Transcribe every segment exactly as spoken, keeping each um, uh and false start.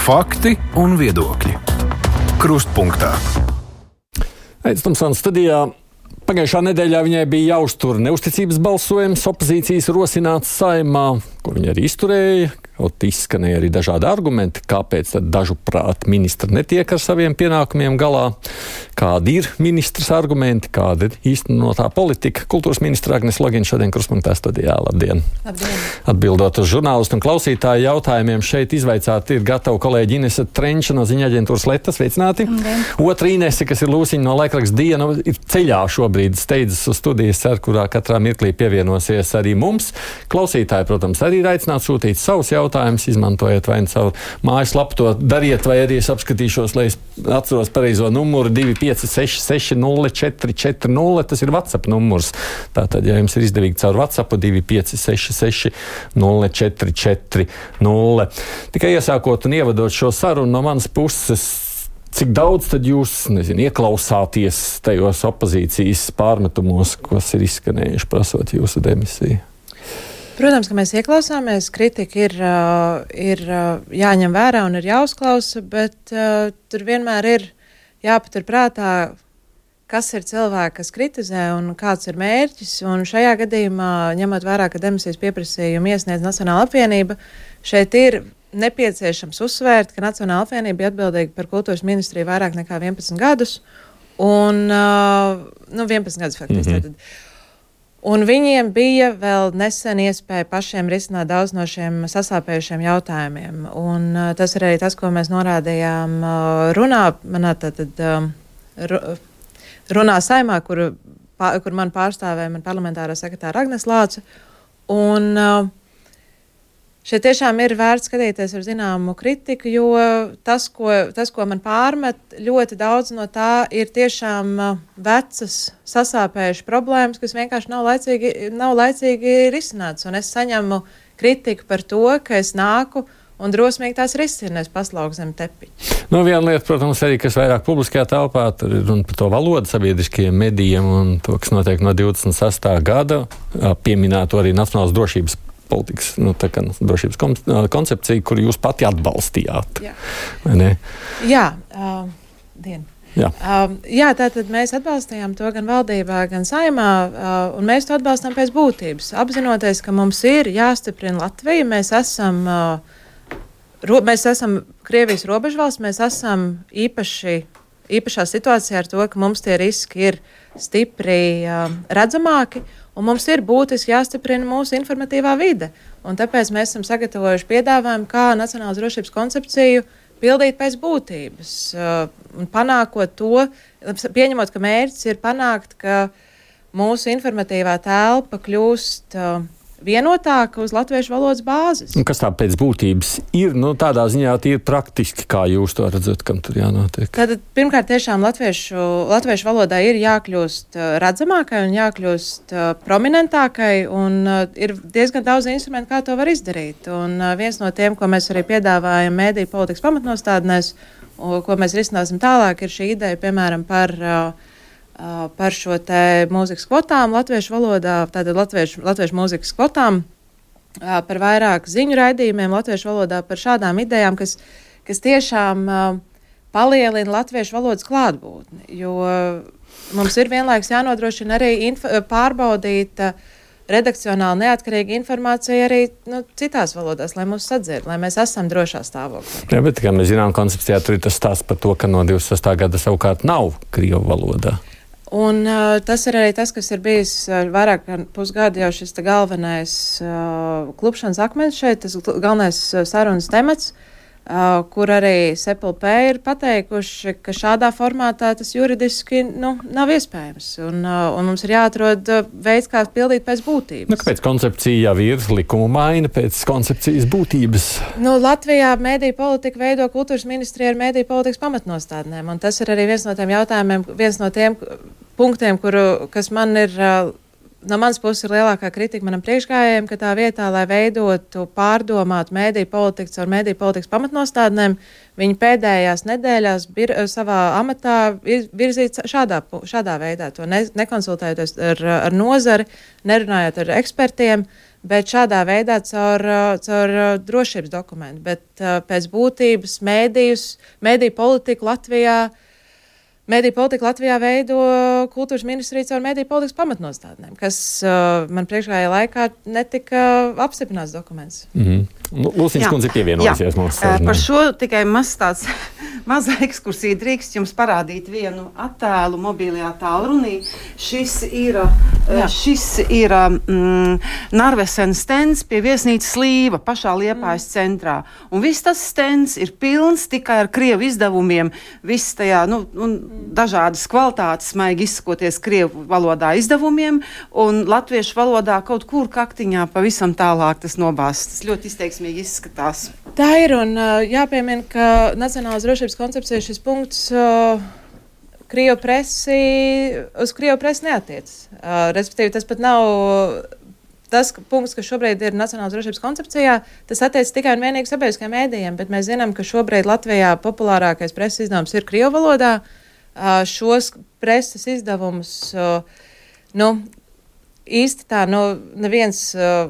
Fakti un viedokļi. Krustpunktā. Aits Tomsons studijā. Pagājušā nedēļā viņai bija jāuztur neusticības balsojums, opozīcijas rosināts Saeimā, kur viņa arī izturēja. Kaut izskanēja arī dažādi argumenti, kāpēc tad dažu prāt ministri netiek ar saviem pienākumiem galā, kādi ir ministrs argumenti, kāda ir īstenotā politika. Kultūras ministra Agnes Logina šodien Krustpunktā studijā. Labdien! Labdien! Atbildot uz žurnālistu un klausītāju jautājumiem, šeit izvaicāti ir gatava kolēģi Inese Trenča no ziņa aģentūras Leta. Sveicināti! Labdien. Otra Inese, kas ir Lūsiņa no laikraksta Diena, ir ceļā šobrīd, steidzas uz studijas, ar kurā katrā mirklī pievienosies arī mums. Klausītāji, protams, arī ir aicināti sūtīt savus jautājumus. Jautājumus, izmantojiet vai nu savu mājaslapu, to dariet, vai arī es apskatīšos, lai es atceros pareizo numuru divi pieci seši seši nulle četri četri nulle. Tas ir WhatsApp numurs. Tātad, ja jums ir izdevīgi caur WhatsApp divi pieci seši seši nulle četri četri nulle. Tikai iesākot un ievadot šo sarunu no manas puses, cik daudz tad jūs, nezinu, ieklausāties tajos opozīcijas pārmetumos, kas ir izskanējuši prasot jūsu demisiju? Protams, ka mēs ieklausāmies, kritika ir, ir jāņem vērā un ir jāuzklausa, bet uh, tur vienmēr ir jāpatur prātā, kas ir cilvēki, kas kritizē un kāds ir mērķis. Un šajā gadījumā, ņemot vērā, ka demisijas pieprasījumu iesniedz Nacionāla apvienība, šeit ir nepieciešams uzsvērt, ka Nacionāla apvienība bija atbildīga par kultūras ministriju vairāk nekā vienpadsmit gadus. Un, uh, nu, vienpadsmit gadus faktiski. Mm-hmm. Tad, Un viņiem bija vēl nesen iespēja pašiem risināt daudz no šiem sasāpējušiem jautājumiem. Un uh, tas ir arī tas, ko mēs norādījām uh, runā, manā tātad um, runā Saeimā, kur, pā, kur man pārstāvēja man parlamentārā sekretāra Agnes Lāca. Un uh, šeit tiešām ir vērts skatīties ar zināmu kritiku, jo tas, ko, tas, ko man pārmet, ļoti daudz no tā ir tiešām uh, vecas, sasāpējušas problēmas, kas vienkārši nav laicīgi, nav laicīgi risināts. Un es saņemu kritiku par to, ka es nāku un drosmīgi tās risinu, es paslauku zem tepiņa. Nu, viena lieta, protams, arī, kas vairāk publiskajā telpā, tur ir runa par to valodu sabiedriskajiem medijiem un to, kas notiek no divdesmit sestā gada, pieminēto arī nacionālas drošības politikas, nu, tā kā drošības koncepcija, kuru jūs pati atbalstījāt. Jā, vai ne? Jā, uh, dien. Jā. Uh, jā, tātad mēs atbalstījām to gan valdībā, gan Saeimā, uh, un mēs to atbalstām pēc būtības. Apzinoties, ka mums ir jāstiprina Latvija, mēs esam, uh, ro, mēs esam Krievijas robežvalsts, mēs esam īpaši, īpašā situācijā ar to, ka mums tie riski ir stipri uh, redzamāki, un mums ir būtiski jāstiprina mūsu informatīvā vide. Un tāpēc mēs esam sagatavojuši piedāvājumu, kā nacionālas drošības koncepciju pildīt pēc būtības. Uh, un panākot to, pieņemot, ka mērķis ir panākt, ka mūsu informatīvā telpa kļūst uh, vienotāka uz latviešu valodas bāzes. Un kas tā pēc būtības ir? Nu, tādā ziņā tie ir praktiski, kā jūs to redzat, kam tur jānotiek. Tātad, pirmkārt, tiešām latviešu, latviešu valodā ir jākļūst uh, redzamākai un jākļūst uh, prominentākai, un uh, ir diezgan daudz instrumentu, kā to var izdarīt. Un uh, viens no tiem, ko mēs arī piedāvājam mēdīju politikas pamatnostādnēs, uh, ko mēs risināsim tālāk, ir šī ideja, piemēram, par uh, Uh, par šo te mūzikas kvotām latviešu valodā, tātad latviešu, latviešu mūzikas kvotām, uh, par vairāk ziņu raidījumiem latviešu valodā, par šādām idejām, kas, kas tiešām uh, palielina latviešu valodas klātbūtni, jo mums ir vienlaiks jānodrošina arī inf- pārbaudīt uh, redakcionāli neatkarīga informācija arī nu, citās valodās, lai mūs sadzird, lai mēs esam drošā stāvoklī. Jā, bet, kā mēs zinām, koncepcijā tur ir tas stāsts par to, ka no divdesmit sestā gada savukārt nav krievu valodā. Un uh, tas ir arī tas, kas ir bijis uh, vairāk kā pusgadu jau šis galvenais uh, klupšanas akmens šeit, tas galvenais uh, sarunas temats, uh, kur arī S P L P ir pateikuši, ka šādā formātā tas juridiski nu, nav iespējams. Un, uh, un mums ir jāatrod uh, veids, kā pildīt pēc būtības. Nu, kāpēc koncepcija jau ir likuma maina pēc koncepcijas būtības? Nu, Latvijā mēdīju politika veido kultūras ministrija ar mēdīju politikas pamatnostādnēm. Un tas ir arī viens no tiem jautājumiem, viens no tiem punktiem, kuru, kas man ir, no manas puses ir lielākā kritika manam priekšgājējiem, ka tā vietā, lai veidotu pārdomātu mēdīju politiku ar mēdīju politikas pamatnostādnēm, viņi pēdējās nedēļās bir, savā amatā virzīt šādā, šādā veidā, to ne, nekonsultējoties ar, ar nozari, nerunājot ar ekspertiem, bet šādā veidā caur, caur drošības dokumentu. Bet pēc būtības mēdījus, mēdīju politiku Latvijā, mēdīju politiku Latvijā veido kultūras ministrija caur mēdīju politikas pamatnostādnēm, kas man priekšgājā laikā netika apstiprināts dokuments. Mm-hmm. Lūsīņas kundze pievienojusies mums. Par šo tikai maz tāds maza ekskursija drīkst jums parādīt vienu attēlu mobilajā tālrunī. Šis ir, Jā. šis ir mm, Narvesen stends pie viesnīcas Līva pašā Liepājas mm. centrā. Un viss tas stends ir pilns tikai ar krievu izdevumiem, viss tajā, nu, un dažādas kvalitātes, maigi izsakoties krievu valodā izdevumiem, un latviešu valodā kaut kur kaktiņā pavisam tālāk tas nobāsts. Tas ļoti izteiksmīgi izskatās. Tā ir, un jāpiemina, ka Nacionālās drošības koncepcija šis punkts uh, Krievu presi, uz Krievu presi neatiecas. Uh, respektīvi, tas pat nav tas punkts, kas šobrīd ir Nacionālās drošības koncepcijā, tas attiecas tikai un vienīgi sabiedriskajiem mēdījiem, bet mēs zinām, ka šobrīd Latvijā populārākais preses izdevums ir Krievu valodā. Uh, šos preses izdevumus, uh, nu, īsti tā, nu, neviens... Uh,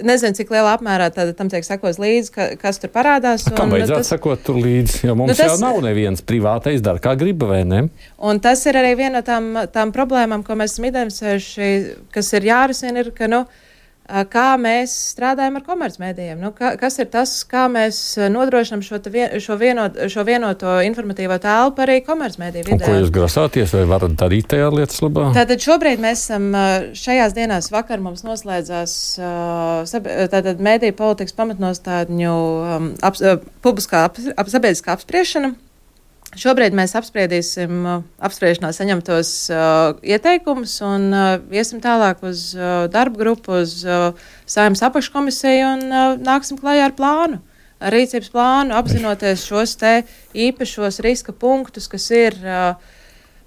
Nezinu, cik lielā apmērā tad, tam tiek sekos līdzi, ka, kas tur parādās. Kam vajadzētu tas... sekot tur līdzi, jo mums nu, tas... jau nav neviens privātais dara, kā griba, vai ne? Un tas ir arī viena no tām, tām problēmām, ko mēs esam identificējuši, kas ir jārisina, ir, ka, nu, kā mēs strādājam ar komercmedijiem. Nu, ka, kas ir tas, kā mēs nodrošinām šo, vien, šo, vienot, šo vienoto informatīvo telpu arī komercmediju vidē. Un ko jūs grasāties vai varat darīt tajā lietas labā? Tātad šobrīd mēs esam šajās dienās vakar mums noslēdzās tātad mediju politikas pamatnostādņu um, ap, publiskā ap, ap, sabiedriskā apspriešana. Šobrīd mēs apspriedīsim uh, apspriešanā saņemtos uh, ieteikumus un uh, iesim tālāk uz uh, darba grupu, uz uh, Saeimas apakškomisiju un uh, nāksim klajā ar plānu, ar rīcības plānu, apzinoties šos te īpašos riska punktus, kas ir uh,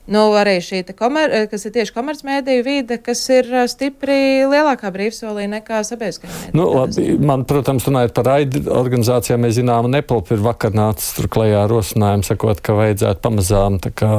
nu, arī šī te komer, kas ir tieši komercmediju vide, kas ir uh, stipri lielākā brīvsolī nekā sabiedriskajā mediju. Nu, labi, man, protams, runājot par raidi organizācijām, mēs zinām, Nepalp ir vakar nācis tur klajā rosinājumu, sakot, ka vajadzētu pamazām tā kā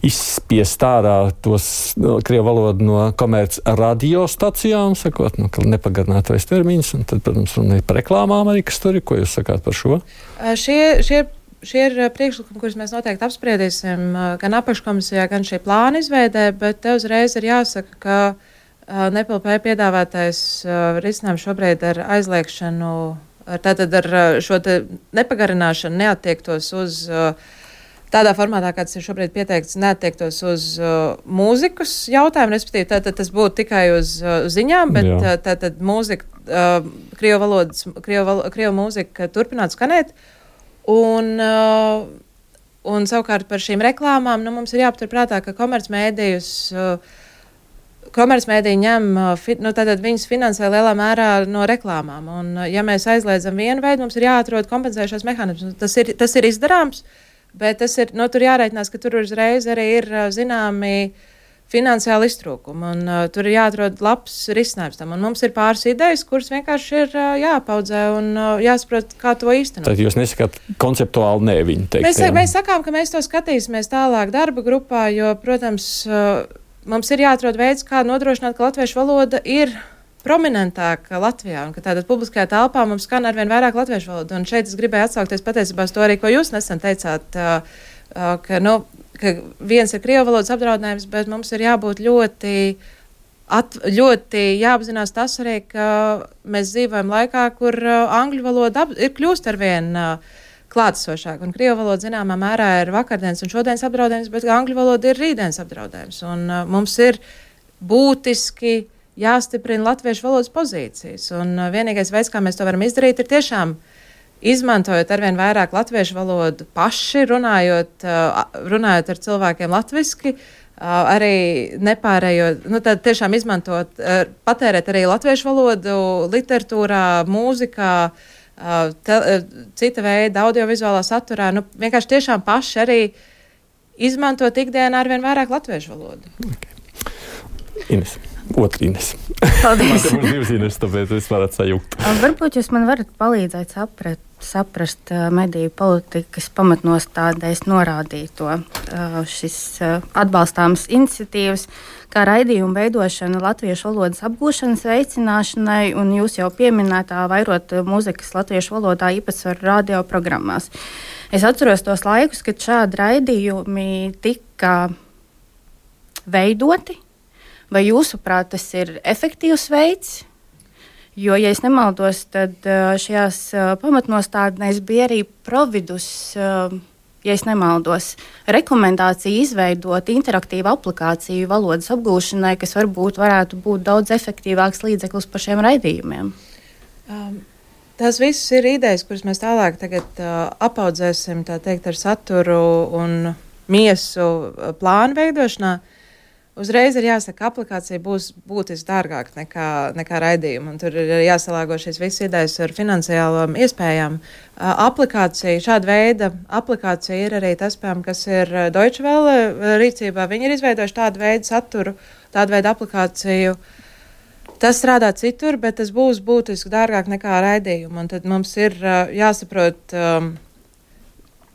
izspiest ārā tos no, krievu valodu no komerc radiostacijām, sakot, nu, ka nepagarināt vairs termiņus, un tad, protams, runājot par reklāmām arī, kas tur ir, ko jūs sakāt par šo? Uh, šie, šie Šie ir priekšlikumi, kurus mēs noteikti apspriedīsim gan apakškomisijā, gan šī plāna izveidē, bet te uzreiz ir jāsaka, ka uh, Nepalp piedāvātais uh, risinājums šobrīd ar aizliekšanu, ar, tātad ar šo te nepagarināšanu neattiektos uz uh, tādā formātā, kāds ir šobrīd pieteikts, neattiektos uz uh, mūzikas jautājumu, respektīvi tātad tas būtu tikai uz uh, ziņām, bet uh, tātad mūzika, uh, krievu valodas, krievu, val, krievu mūzika turpinātu skanēt. Un, uh, un savukārt par šīm reklāmām nu, mums ir jāpaturprātā, ka komercmedijus, uh, komercmediji ņem, uh, fi, nu, tātad viņas finansē lielā mērā no reklāmām. Un, uh, ja mēs aizliedzam vienu veidu, mums ir jāatrod kompensējušos mehānismus. Tas ir, tas ir izdarāms, bet tas ir, nu, tur jārēķinās, ka tur uzreiz arī ir uh, zināmi finansiāli iztrūkumi, un uh, tur ir jāatrod labs risinājums tam. Un mums ir pāris idejas, kuras vienkārši ir uh, jāpaudzē un uh, jāsaprot, kā to īstenot. Tad jūs nesakāt konceptuāli ne viņi teikt? Mēs, mēs sakām, ka mēs to skatīsimies tālāk darba grupā, jo, protams, uh, mums ir jāatrod veids, kā nodrošināt, ka latviešu valoda ir prominentāka Latvijā, un ka tātad publiskajā telpā mums skan arvien vairāk latviešu valodu. Un šeit es gribēju atsaukties patiesībā uz to arī, ko jūs nesen teicāt, uh, uh, ka, nu, ka viens ir krievu valodas apdraudējums, bet mums ir jābūt ļoti, at, ļoti jāapzinās tas arī, ka mēs dzīvojam laikā, kur uh, angļu valoda ap, ir kļūst arvien uh, klātesošāk, un krievu valoda zināmā mērā ir vakardienas un šodienas apdraudējums, bet angļu valoda ir rītdienas apdraudējums, un uh, mums ir būtiski jāstiprina latviešu valodas pozīcijas, un uh, vienīgais veids, kā mēs to varam izdarīt, ir tiešām izmantojot arvien vairāk latviešu valodu paši, runājot, runājot ar cilvēkiem latviski, arī nepārējot, nu tad tiešām izmantot, patērēt arī latviešu valodu literatūrā, mūzikā, te, cita veida audiovizuālā saturā, nu vienkārši tiešām paši arī izmantot ikdienā arvien vairāk latviešu valodu. Okay. Ines. Otra Ines. Paldies. Man te būs divas Ines, tāpēc es varat sajūgt. Varbūt jūs man varat palīdzēt saprat, saprast uh, mediju politikas pamatnostādēs norādīto uh, šis uh, atbalstāmas iniciatīvas, kā raidījumu veidošana latviešu valodas apgūšanas veicināšanai, un jūs jau pieminētā vairot mūzikas latviešu valodā īpatsvaru radioprogrammās. Es atceros tos laikus, kad šādi raidījumi tika veidoti, vai jūsuprāt tas ir efektīvs veids? Jo, ja es nemaldos, tad šajās pamatnostādnēs bija arī providus, ja es nemaldos, rekomendācija izveidot interaktīvu aplikāciju valodas apgūšanai, kas varbūt varētu būt daudz efektīvāks līdzeklis par šiem raidījumiem. Um. Tās visas ir idejas, kuras mēs tālāk tagad, uh, apaudzēsim tā teikt, ar saturu un miesu uh, plānu veidošanā. Uzreiz ir jāsaka, aplikācija būs būtiski dārgāka nekā, nekā raidījuma. Tur ir jāsalāgo šīs visas idejas ar finansiālām iespējām. Uh, aplikācija, šāda veida aplikācija ir arī tas, piemēram, kas ir Deutsche Welle rīcībā. Viņi ir izveidojuši tādu veidu saturu, tādu veidu aplikāciju. Tas strādā citur, bet tas būs būtiski dārgāk nekā raidījuma. Un tad mums ir uh, jāsaprot, um,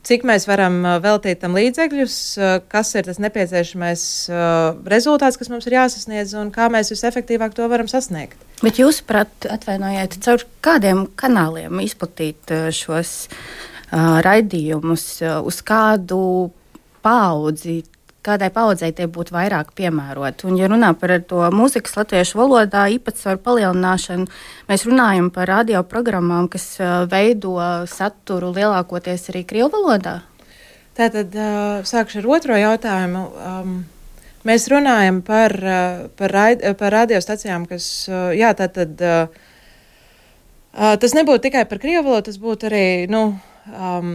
cik mēs varam uh, veltīt tam līdzekļus, uh, kas ir tas nepieciešamais uh, rezultāts, kas mums ir jāsasniedz un kā mēs visefektīvāk to varam sasniegt. Bet jūs, prāt, atvainojiet, caur kādiem kanāliem izplatīt uh, šos uh, raidījumus, uh, uz kādu paudzi? Kādai paudzei tie būtu vairāk piemēroti. Un, ja runā par to mūzikas latviešu valodā īpatsvaru palielināšanu, mēs runājam par radioprogrammām, kas uh, veido saturu lielākoties arī krievu valodā? Tātad uh, sākšu ar otro jautājumu. Um, mēs runājam par, uh, par, raid, par radiostacijām, kas, uh, jā, tātad uh, uh, tas nebūtu tikai par krievu valodu, tas būtu arī, nu, um,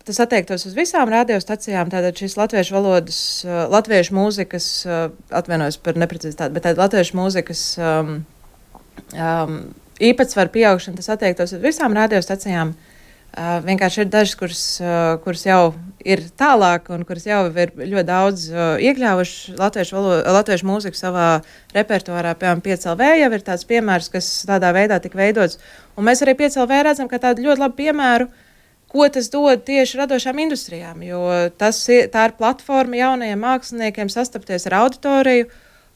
tas attiektos uz visām radiostacijām, tātad šis latviešu valodas, uh, latviešu mūzikas, uh, atvainojos par neprecizitāti, bet tāda latviešu mūzikas um, um, īpatsvaru pieaugšana, tas attiektos uz visām radiostacijām. Uh, vienkārši ir dažas, kuras, uh, kuras jau ir tālāk un kuras jau ir ļoti daudz uh, iekļāvuši latviešu, valodu, latviešu mūziku savā repertuārā. Piemēram, pieci L V jau ir tāds piemērs, kas tādā veidā tika veidots. Un mēs arī pieci L V redzam, ka tādu ļoti labu piemēru, ko tas dod tieši radošām industrijām, jo tas ir, tā ir platforma jaunajiem māksliniekiem sastapties ar auditoriju,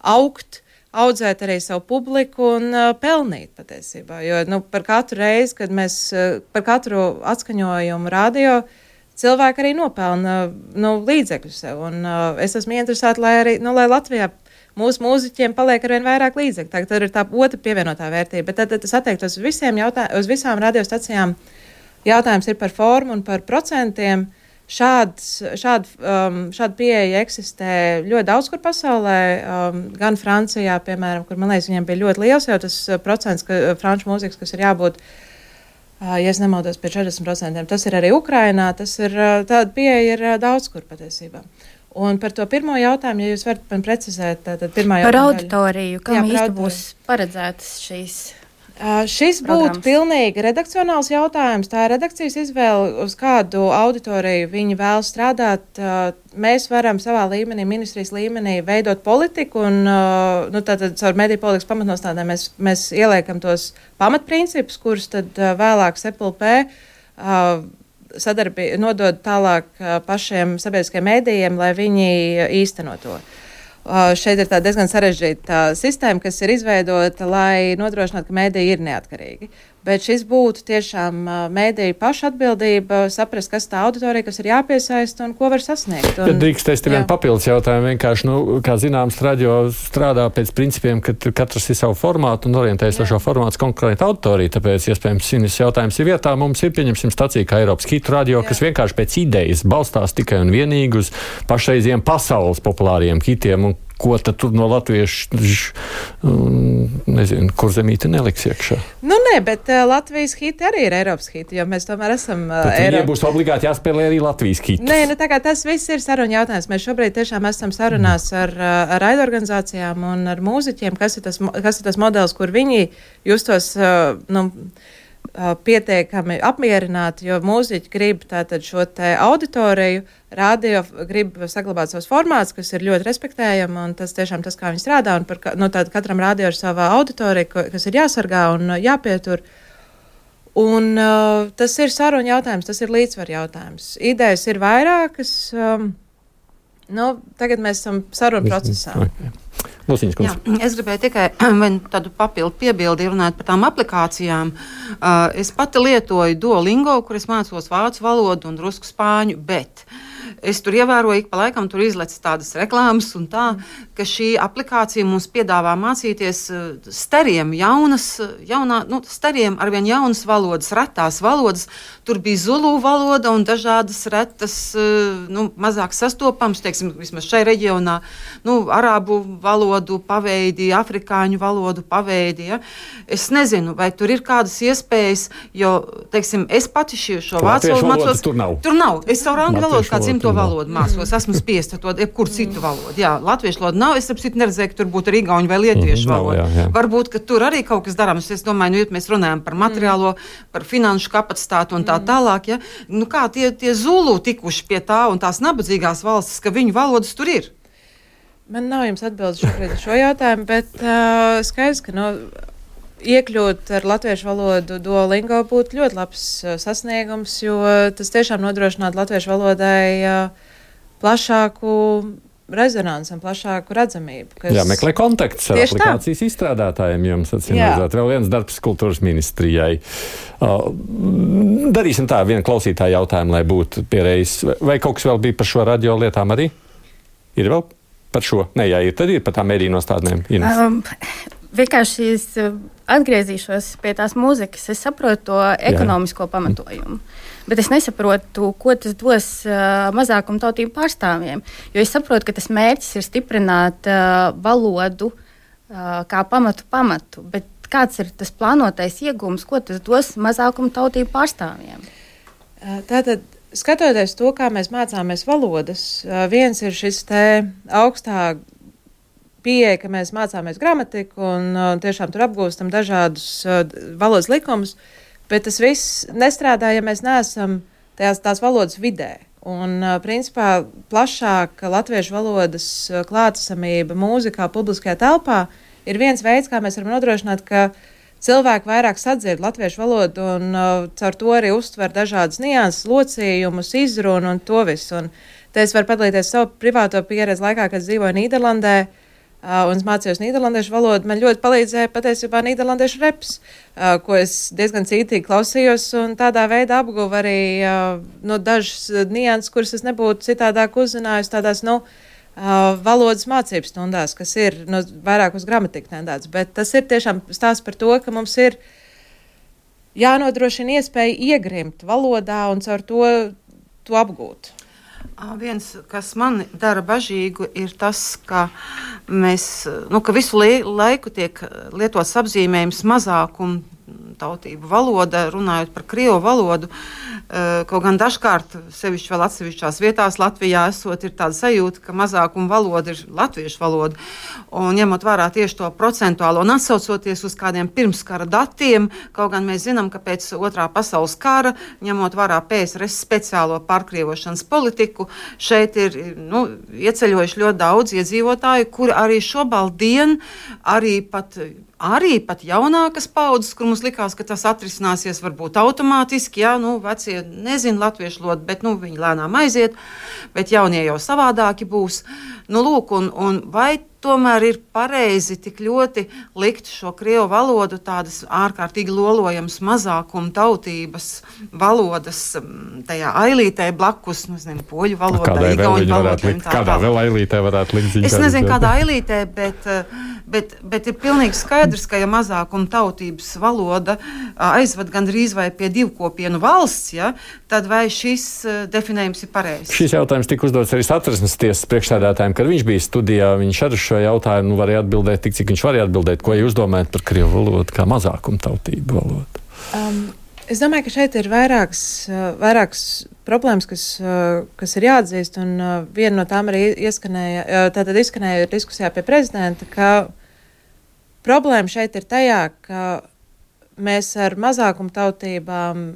augt, audzēt arī savu publiku un uh, pelnīt patiesībā. Jo nu, par katru reizi, kad mēs uh, par katru atskaņojumu radio, cilvēki arī nopelna nu, līdzekļu sev. Un, uh, es esmu interesēta, lai arī nu, lai Latvijā mūsu mūziķiem paliek arvien vairāk līdzekļu. Tā, tad ir tā otra pievienotā vērtība. Bet tad, tad tas attiektos uz, visiem jautā, uz visām radiostacijām. Jautājums ir par formu un par procentiem. Šāds, šād, um, šāda pieeja eksistē ļoti daudz kur pasaulē, um, gan Francijā, piemēram, kur, man liekas, viņiem bija ļoti liels jau tas procents, ka franču mūzikas, kas ir jābūt, uh, ja es nemaldos, pie četrdesmit procentiem. Tas ir arī Ukrainā, tas ir, uh, tāda pieeja ir uh, daudz kur patiesībā. Un par to pirmo jautājumu, ja jūs varat man precizēt, tad pirmā jautājuma. Par auditoriju, kam īsti būs paredzētas šīs? Uh, šis būtu pilnīgi redakcionāls jautājums. Tā ir redakcijas izvēle, uz kādu auditoriju viņi vēl strādāt. Uh, mēs varam savā līmenī, ministrijas līmenī, veidot politiku, un uh, nu, tātad caur mediju politikas pamatnostādēm mēs, mēs ieliekam tos pamatprincipus, kurus tad uh, vēlāk S P L P uh, sadarbī, nodod tālāk uh, pašiem sabiedriskiem mēdījiem, lai viņi īstenot to. Uh, šeit ir tā diezgan sarežģīta uh, sistēma, kas ir izveidota, lai nodrošinātu, ka mēdīji ir neatkarīgi. Bet šis būtu tiešām uh, mēdīju paša atbildība saprast, kas tā auditorija, kas ir jāpiesaista un ko var sasniegt. Un, Bet drīkstēs te vien papildus jautājumu. Vienkārši, nu, kā zināms, radio strādā pēc principiem, ka katrs ir savu formātu un orientējas ar šo formātu konkrēti auditoriju. Tāpēc, iespējams, šis jautājums ir vietā. Mums ir, pieņemsim, stacija kā Eiropas hitu radio, Jā. Kas vienkārši pēc idejas balstās tikai un vienīgi uz pašreiziem pasaules populāriem hitiem. Un ko tad tur no latviešu, nezinu, kur zemīte neliks iekšā? Nu, nē, bet uh, Latvijas hiti arī ir Eiropas hiti, jo mēs tomēr esam uh, Eiropas. Tad viņiem būs obligāti jāspēlē arī Latvijas hiti. Nē, nu tā kā tas viss ir saruna jautājums. Mēs šobrīd tiešām esam sarunās ar, ar raidorganizācijām un ar mūziķiem, kas ir tas, kas ir tas modelis, kur viņi justos, uh, nu, pietiekami apmierināti, jo mūziķi grib tātad šo te auditoriju, radio grib saglabāt savus formātus, kas ir ļoti respektējami, un tas tiešām tas, kā viņi strādā, un par, nu, tātad katram radio ir savā auditorija, kas ir jāsargā un jāpietur. Un uh, tas ir saruna jautājums, tas ir līdzsvar jautājums. Idejas ir vairākas. Um, nu, tagad mēs esam saruna procesā. Okay. Lusiņas kundze. Jā, es gribēju tikai tādu papildu piebildi runāt par tām aplikācijām. Uh, es pati lietoju Duolingo, kur es mācos vācu valodu un drusku spāņu, bet es tur ievēroju, ik pa laikam tur izlec tādas reklāmas un tā, ka šī aplikācija mums piedāvā mācīties stariem jaunas, jaunā, nu, stariem arvien jaunas valodas, retās valodas. Tur bija zulu valoda un dažādas retas, nu, mazāk sastopams, teiksim, vismaz šai reģionā, nu, arābu valodu paveidi, afrikāņu valodu paveidi, ja. Es nezinu, vai tur ir kādas iespējas, jo, teiksim, es pati šī, šo vācu valodu mācos. Tur nav. Tur nav. Es savu angļu valodu, kā dzimto valodu mācos. Esmu spiesta to, jebkuru citu valodu. Jā, latviešu valodu nav. Es apsit neredzēju, ka tur būtu arī igauņu vai lietuviešu valoda. Jā, jā. Varbūt, ka tur arī kaut kas darāms. Es domāju, nu, ja mēs runājam par materiālo, par finanšu kapacitātu un tā tālāk, ja, nu kā tie, tie zulu tikuši pie tā un tās nabadzīgās valstis, ka viņu valodas tur ir. Man nav jums atbildes šobrīd uz šo jautājumu, bet uh, skaidrs, ka no, iekļūt ar latviešu valodu Duolingo būtu ļoti labs uh, sasniegums, jo tas tiešām nodrošinātu latviešu valodai uh, plašāku rezonanci un plašāku redzamību. Kas... Jā, meklē kontaktus ar aplikācijas tā. Izstrādātājiem. Jums atsimredzēt vēl viens darbs kultūras ministrijai. Uh, darīsim tā, viena klausītāja jautājumu, lai būtu pierējis. Vai kaut kas vēl bija par šo radio lietām arī? Ir vēl par šo? Nē, jā, ir, tad ir par tām mēdīju nostādnēm. Um, vienkārši es atgriezīšos pie tās mūzikas. Es saprotu to ekonomisko jā. Pamatojumu. Bet es nesaprotu, ko tas dos uh, mazākumtautību pārstāvjiem. Jo es saprotu, ka tas mērķis ir stiprināt uh, valodu uh, kā pamatu pamatu. Bet kāds ir tas plānotais iegūms, ko tas dos mazākumtautību pārstāvjiem? Uh, tātad, skatoties to, kā mēs mācāmies valodas, uh, viens ir šis te augstā pieeja, ka mēs mācāmies gramatiku un uh, tiešām tur apgūstam dažādus uh, valodas likumus. Bet tas viss nestrādā, ja mēs neesam tajās, tās valodas vidē. Un, principā, plašāka latviešu valodas klātesamība mūzikā, publiskajā telpā ir viens veids, kā mēs varam nodrošināt, ka cilvēki vairāk sadzird latviešu valodu un uh, caur to arī uztver dažādas nianses, locījumus, izrunu un to visu. Un te es varu padalīties savu privāto pieredzi laikā, kad dzīvoju Nīderlandē. Uh, un es mācījos nīderlandiešu valodu. Man ļoti palīdzēja patiesībā nīderlandiešu reps, uh, ko es diezgan cītīgi klausījos, un tādā veidā apguvu arī uh, no dažas nianses, kuras es nebūtu citādāk uzzinājusi tādās, nu, uh, valodas mācības stundās, kas ir no, vairāk uz gramatiku tendēts. Bet tas ir tiešām stāsts par to, ka mums ir jānodrošina iespēja iegrimt valodā un caur to, to apgūt. Viens, kas man dara bažīgu, ir tas, ka, mēs, nu, ka visu laiku tiek lietots apzīmējums mazākumu tautību valoda, runājot par krievu valodu. Kaut gan dažkārt, sevišķi vēl atsevišķās vietās Latvijā esot, ir tāda sajūta, ka mazākuma valoda ir latviešu valoda. Un ņemot vērā tieši to procentuālo un atsaucoties uz kādiem pirmskara datiem, kaut gan mēs zinām, ka pēc otrā pasaules kara, ņemot vērā P S R S speciālo pārkrievošanas politiku, šeit ir, nu, ieceļojuši ļoti daudz iedzīvotāju, kuri arī šobaldien arī pat Arī pat jaunākas paudzes, kur mums likās, ka tas atrisināsies varbūt automātiski, jā, nu, vecie nezin latviešu valodu, bet, nu, viņi lēnām aiziet, bet jaunie jau savādāki būs. Nu, lūk, un, un vai tomēr ir pareizi tik ļoti likt šo krievu valodu tādas ārkārtīgi lolojamas mazākuma tautības valodas tajā ailītē blakus, nu, es nezinu, poļu valodā, igauņu valodā. Kādā vēl ailītē varētu likt ziņkāri? Es nezinu, kādā ailītē, bet, bet, bet ir pilnīgi skaidrs, ka ja mazākuma tautības valoda aizved gandrīz vai pie divkopienu valsts, ja, tad vai šis definējums ir pareizs? Šis jautājums tika uzdots arī Satversmes tiesas priekšsēdētājiem, kad viņš bija studijā. Viņš ar šo jautājumu nu, varēja atbildēt tik, cik viņš varēja atbildēt. Ko jūs domājat par krievu valodu kā mazākuma tautību valodu? Um, es domāju, ka šeit ir vairākas, vairākas problēmas, kas, kas ir jāatzīst, un viena no tām arī ieskanēja, tātad izskanēja diskusijā pie prezidenta, ka problēma šeit ir tajā, ka mēs ar mazākuma tautībām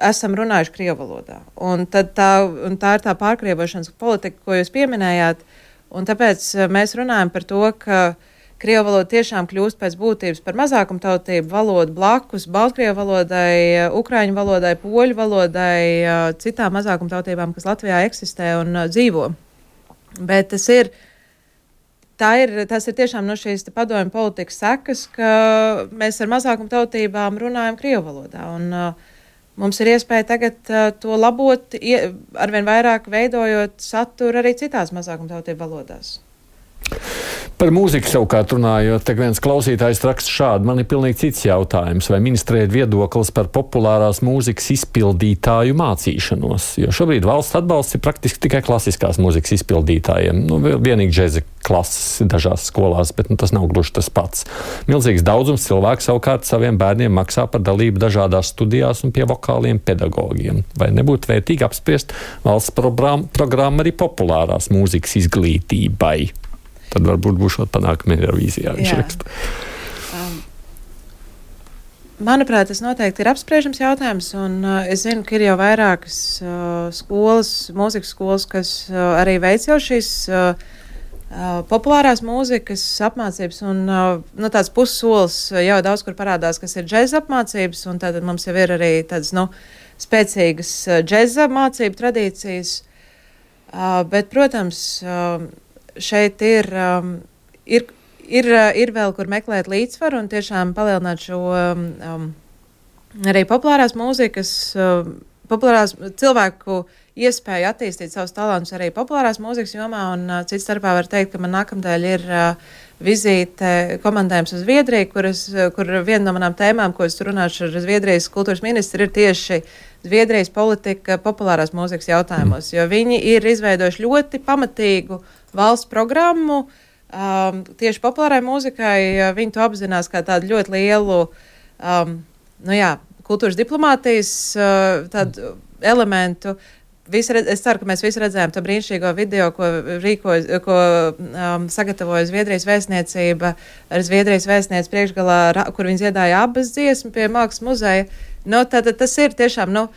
esam runājuši krievu valodā. Un, tad tā, un tā ir tā pārkrievošanas politika, ko jūs pieminējāt. Un tāpēc mēs runājam par to, ka Krievu valoda tiešām kļūst pēc būtības par mazākumtautību valodu blakus Baltkrievu valodai, Ukraiņu valodai, poļu valodai, citām mazākumtautībām, kas Latvijā eksistē un dzīvo. Bet tas ir, tā ir, tas ir tiešām no šīs padomju politikas sekas, ka mēs ar mazākumtautībām runājam Krievu valodā. Un uh, mums ir iespēja tagad uh, to labot, ie, arvien vairāk veidojot saturu arī citās mazākumtautību valodās. Par mūziku savukārt runājot, te viens klausītājs raksta šādi. Man ir pilnīgi cits jautājums, vai ministrē ir viedoklis par populārās mūzikas izpildītāju mācīšanos, jo šobrīd valsts atbalsts ir praktiski tikai klasiskās mūzikas izpildītājiem. Nu, vienīgi džeza klases dažās skolās, bet nu, tas nav gluži tas pats. Milzīgs daudzums cilvēku savukārt saviem bērniem maksā par dalību dažādās studijās un pie vokāliem pedagogiem. Vai nebūtu vērtīgi apspriest valsts programmu arī populārās mūzikas izglītībai? Tad varbūt būšot panākumi Eirovīzijā, viņš raksta. Um, manuprāt, tas noteikti ir apspriežams jautājums, un uh, es zinu, ka ir jau vairākas uh, skolas, mūzikas skolas, kas uh, arī veic jau šīs uh, uh, populārās mūzikas apmācības, un uh, nu, tāds pussolis jau daudz kur parādās, kas ir džeza apmācības, un tad mums jau ir arī tādas, nu, spēcīgas uh, džeza mācību tradīcijas, uh, bet, protams, uh, šeit ir, um, ir, ir, ir vēl, kur meklēt līdzsvaru un tiešām palielināt šo um, arī populārās mūzikas, um, populārās cilvēku iespēju attīstīt savus talantus arī populārās mūzikas jomā. Un uh, cits starpā var teikt, ka man nākamdēļ ir uh, vizīte komandējums uz Zviedriju, kuras, kur viena no manām tēmām, ko es runāšu ar Zviedrijas kultūras ministru, ir tieši Zviedrijas politika populārās mūzikas jautājumos, jo viņi ir izveidojuši ļoti pamatīgu valsts programmu um, tieši populārai mūzikai. Viņi to apzinās kā tādu ļoti lielu um, nu jā, kultūras diplomātijas uh, tādu elementu. Visi, es ceru, ka mēs visi redzējām to brīnišķīgo video, ko, rīkoja, ko um, sagatavoja Zviedrijas vēstniecība ar Zviedrijas vēstniec priekšgalā, kur viņi dziedāja abas dziesmu pie Mākslas muzeja. Nu, tad, tas ir tiešām, nu,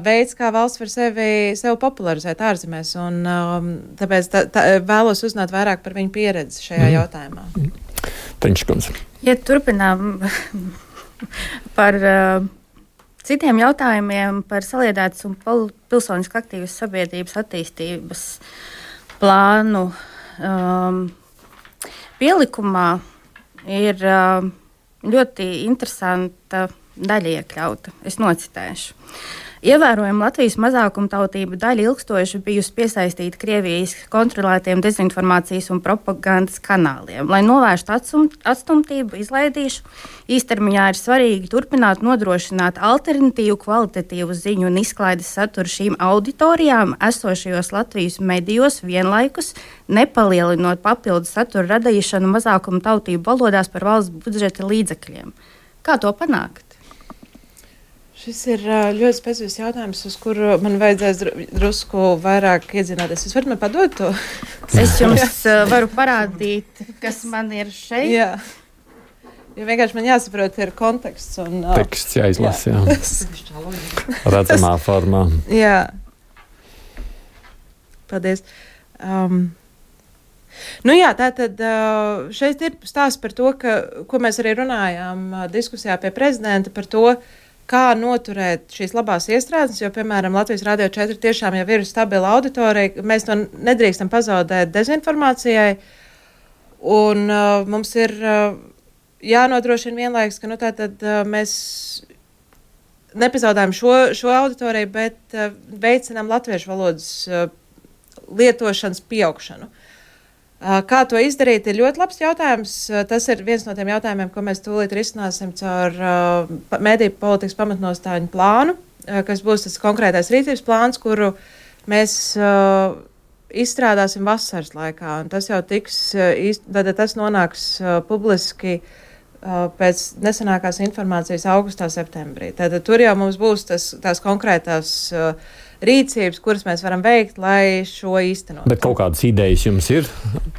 veids, kā valsts var sevi, sevi popularizēt ārzemēs, un um, tāpēc tā, tā, vēlos uzzināt vairāk par viņu pieredzi šajā mm. jautājumā. Teņškundze. Ja turpinām par uh, citiem jautājumiem, par saliedētas un pilsoniski aktīvas sabiedrības attīstības plānu, um, pielikumā ir uh, ļoti interesanta daļa iekļauta. Es nocitēšu. Ievērojama Latvijas mazākumtautība daļa ilgstoši bijusi piesaistīta Krievijas kontrolētiem dezinformācijas un propagandas kanāliem. Lai novērstu atsum, atstumtību, izlaidīšu, īstermiņā ir svarīgi turpināt nodrošināt alternatīvu kvalitatīvu ziņu un izklaides saturu šīm auditorijām esošajos Latvijas medijos vienlaikus, nepalielinot papildus satura radīšanu mazākumtautību valodās par valsts budžeta līdzekļiem. Kā to panākt? Šis ir ļoti specifisks jautājums, uz kuru man vajadzēs drusku vairāk iedzināties. Jūs varat man padot to? Es jums varu parādīt, kas man ir šeit. Jā. Jo vienkārši man jāsaprot, ir konteksts. Un, teksts jāizlasa, jā. jā. Redzamā formā. Jā. Paldies. Um, Nu jā, tātad šeit ir stāsts par to, ka, ko mēs arī runājām diskusijā pie prezidenta par to, kā noturēt šīs labās iestrādes, jo, piemēram, Latvijas Rādio četri tiešām jau ir stabila auditorija, mēs to nedrīkstam pazaudēt dezinformācijai, un uh, mums ir uh, jānodrošina vienlaikus, ka, nu, tātad uh, mēs nepazaudējam šo, šo auditoriju, bet uh, veicinām latviešu valodas uh, lietošanas pieaugšanu. Kā to izdarīt, ir ļoti labs jautājums. Tas ir viens no tiem jautājumiem, ko mēs tūlīt risināsim caur uh, mediju politikas pamatnostāļu plānu, uh, kas būs tas konkrētais rīcības plāns, kuru mēs uh, izstrādāsim vasaras laikā. Un tas jau tiks, uh, iz, tad tas nonāks uh, publiski uh, pēc nesenākās informācijas augustā, septembrī. Tad tur jau mums būs tas, tās konkrētās uh, rīcības, kuras mēs varam veikt, lai šo īstenot. Bet kaut kādas idejas jums ir?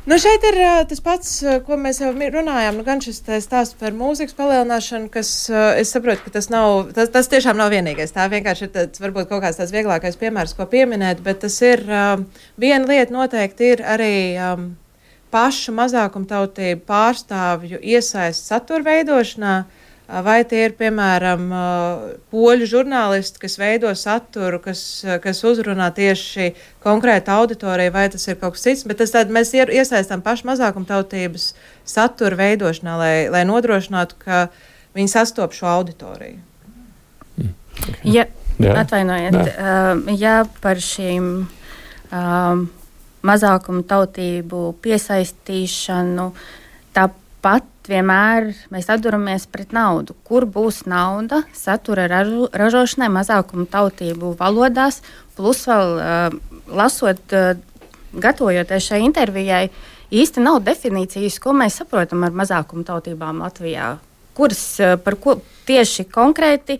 Nu, šeit ir uh, tas pats, uh, ko mēs jau runājām. Nu, gan šis stāsts par mūzikas palielināšanu, kas, uh, es saprotu, ka tas nav, tas, tas tiešām nav vienīgais. Tā vienkārši ir tāds, varbūt kaut kāds tāds vieglākais piemērs, ko pieminēt, bet tas ir, uh, viena lieta noteikti ir arī um, pašu mazākumtautību pārstāvju iesaist satura veidošanā, vai tie ir, piemēram, poļu žurnālisti, kas veido saturu, kas, kas uzrunā tieši konkrētu auditoriju, vai tas ir kaut kas cits, bet tas tad mēs iesaistām pašu mazākumtautības satura veidošanā, lai, lai nodrošinātu, ka viņi sastop šo auditoriju. Mm. Ja, atvainojiet, uh, ja par šīm um, mazākumtautību piesaistīšanu tāpat vienmēr mēs atduramies pret naudu. Kur būs nauda satura ražu, ražošanai mazākumtautību valodās, plus vēl uh, lasot, uh, gatavojoties šai intervijai, īsti nav definīcijas, ko mēs saprotam ar mazākumtautībām Latvijā. Kuras, uh, par ko tieši konkrēti,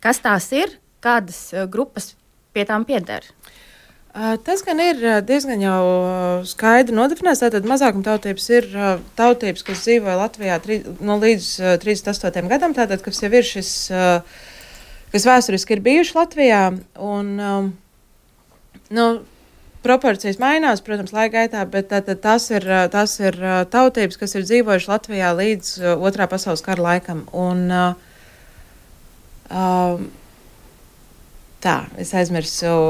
kas tās ir, kādas uh, grupas pie tām pieder? Tas gan ir diezgan jau skaidri nodefinēts. Tātad mazākumtautības ir tautības, kas dzīvoja Latvijā tri, no līdz trīsdesmit astotajam gadam, tātad, kas jau ir šis, kas vēsturiski ir bijuši Latvijā. Un, nu, proporcijas mainās, protams, laika gaitā, bet tātad tās ir, tās ir tautības, kas ir dzīvojuši Latvijā līdz otrā pasaules kara laikam. Un, tā, es aizmirsu.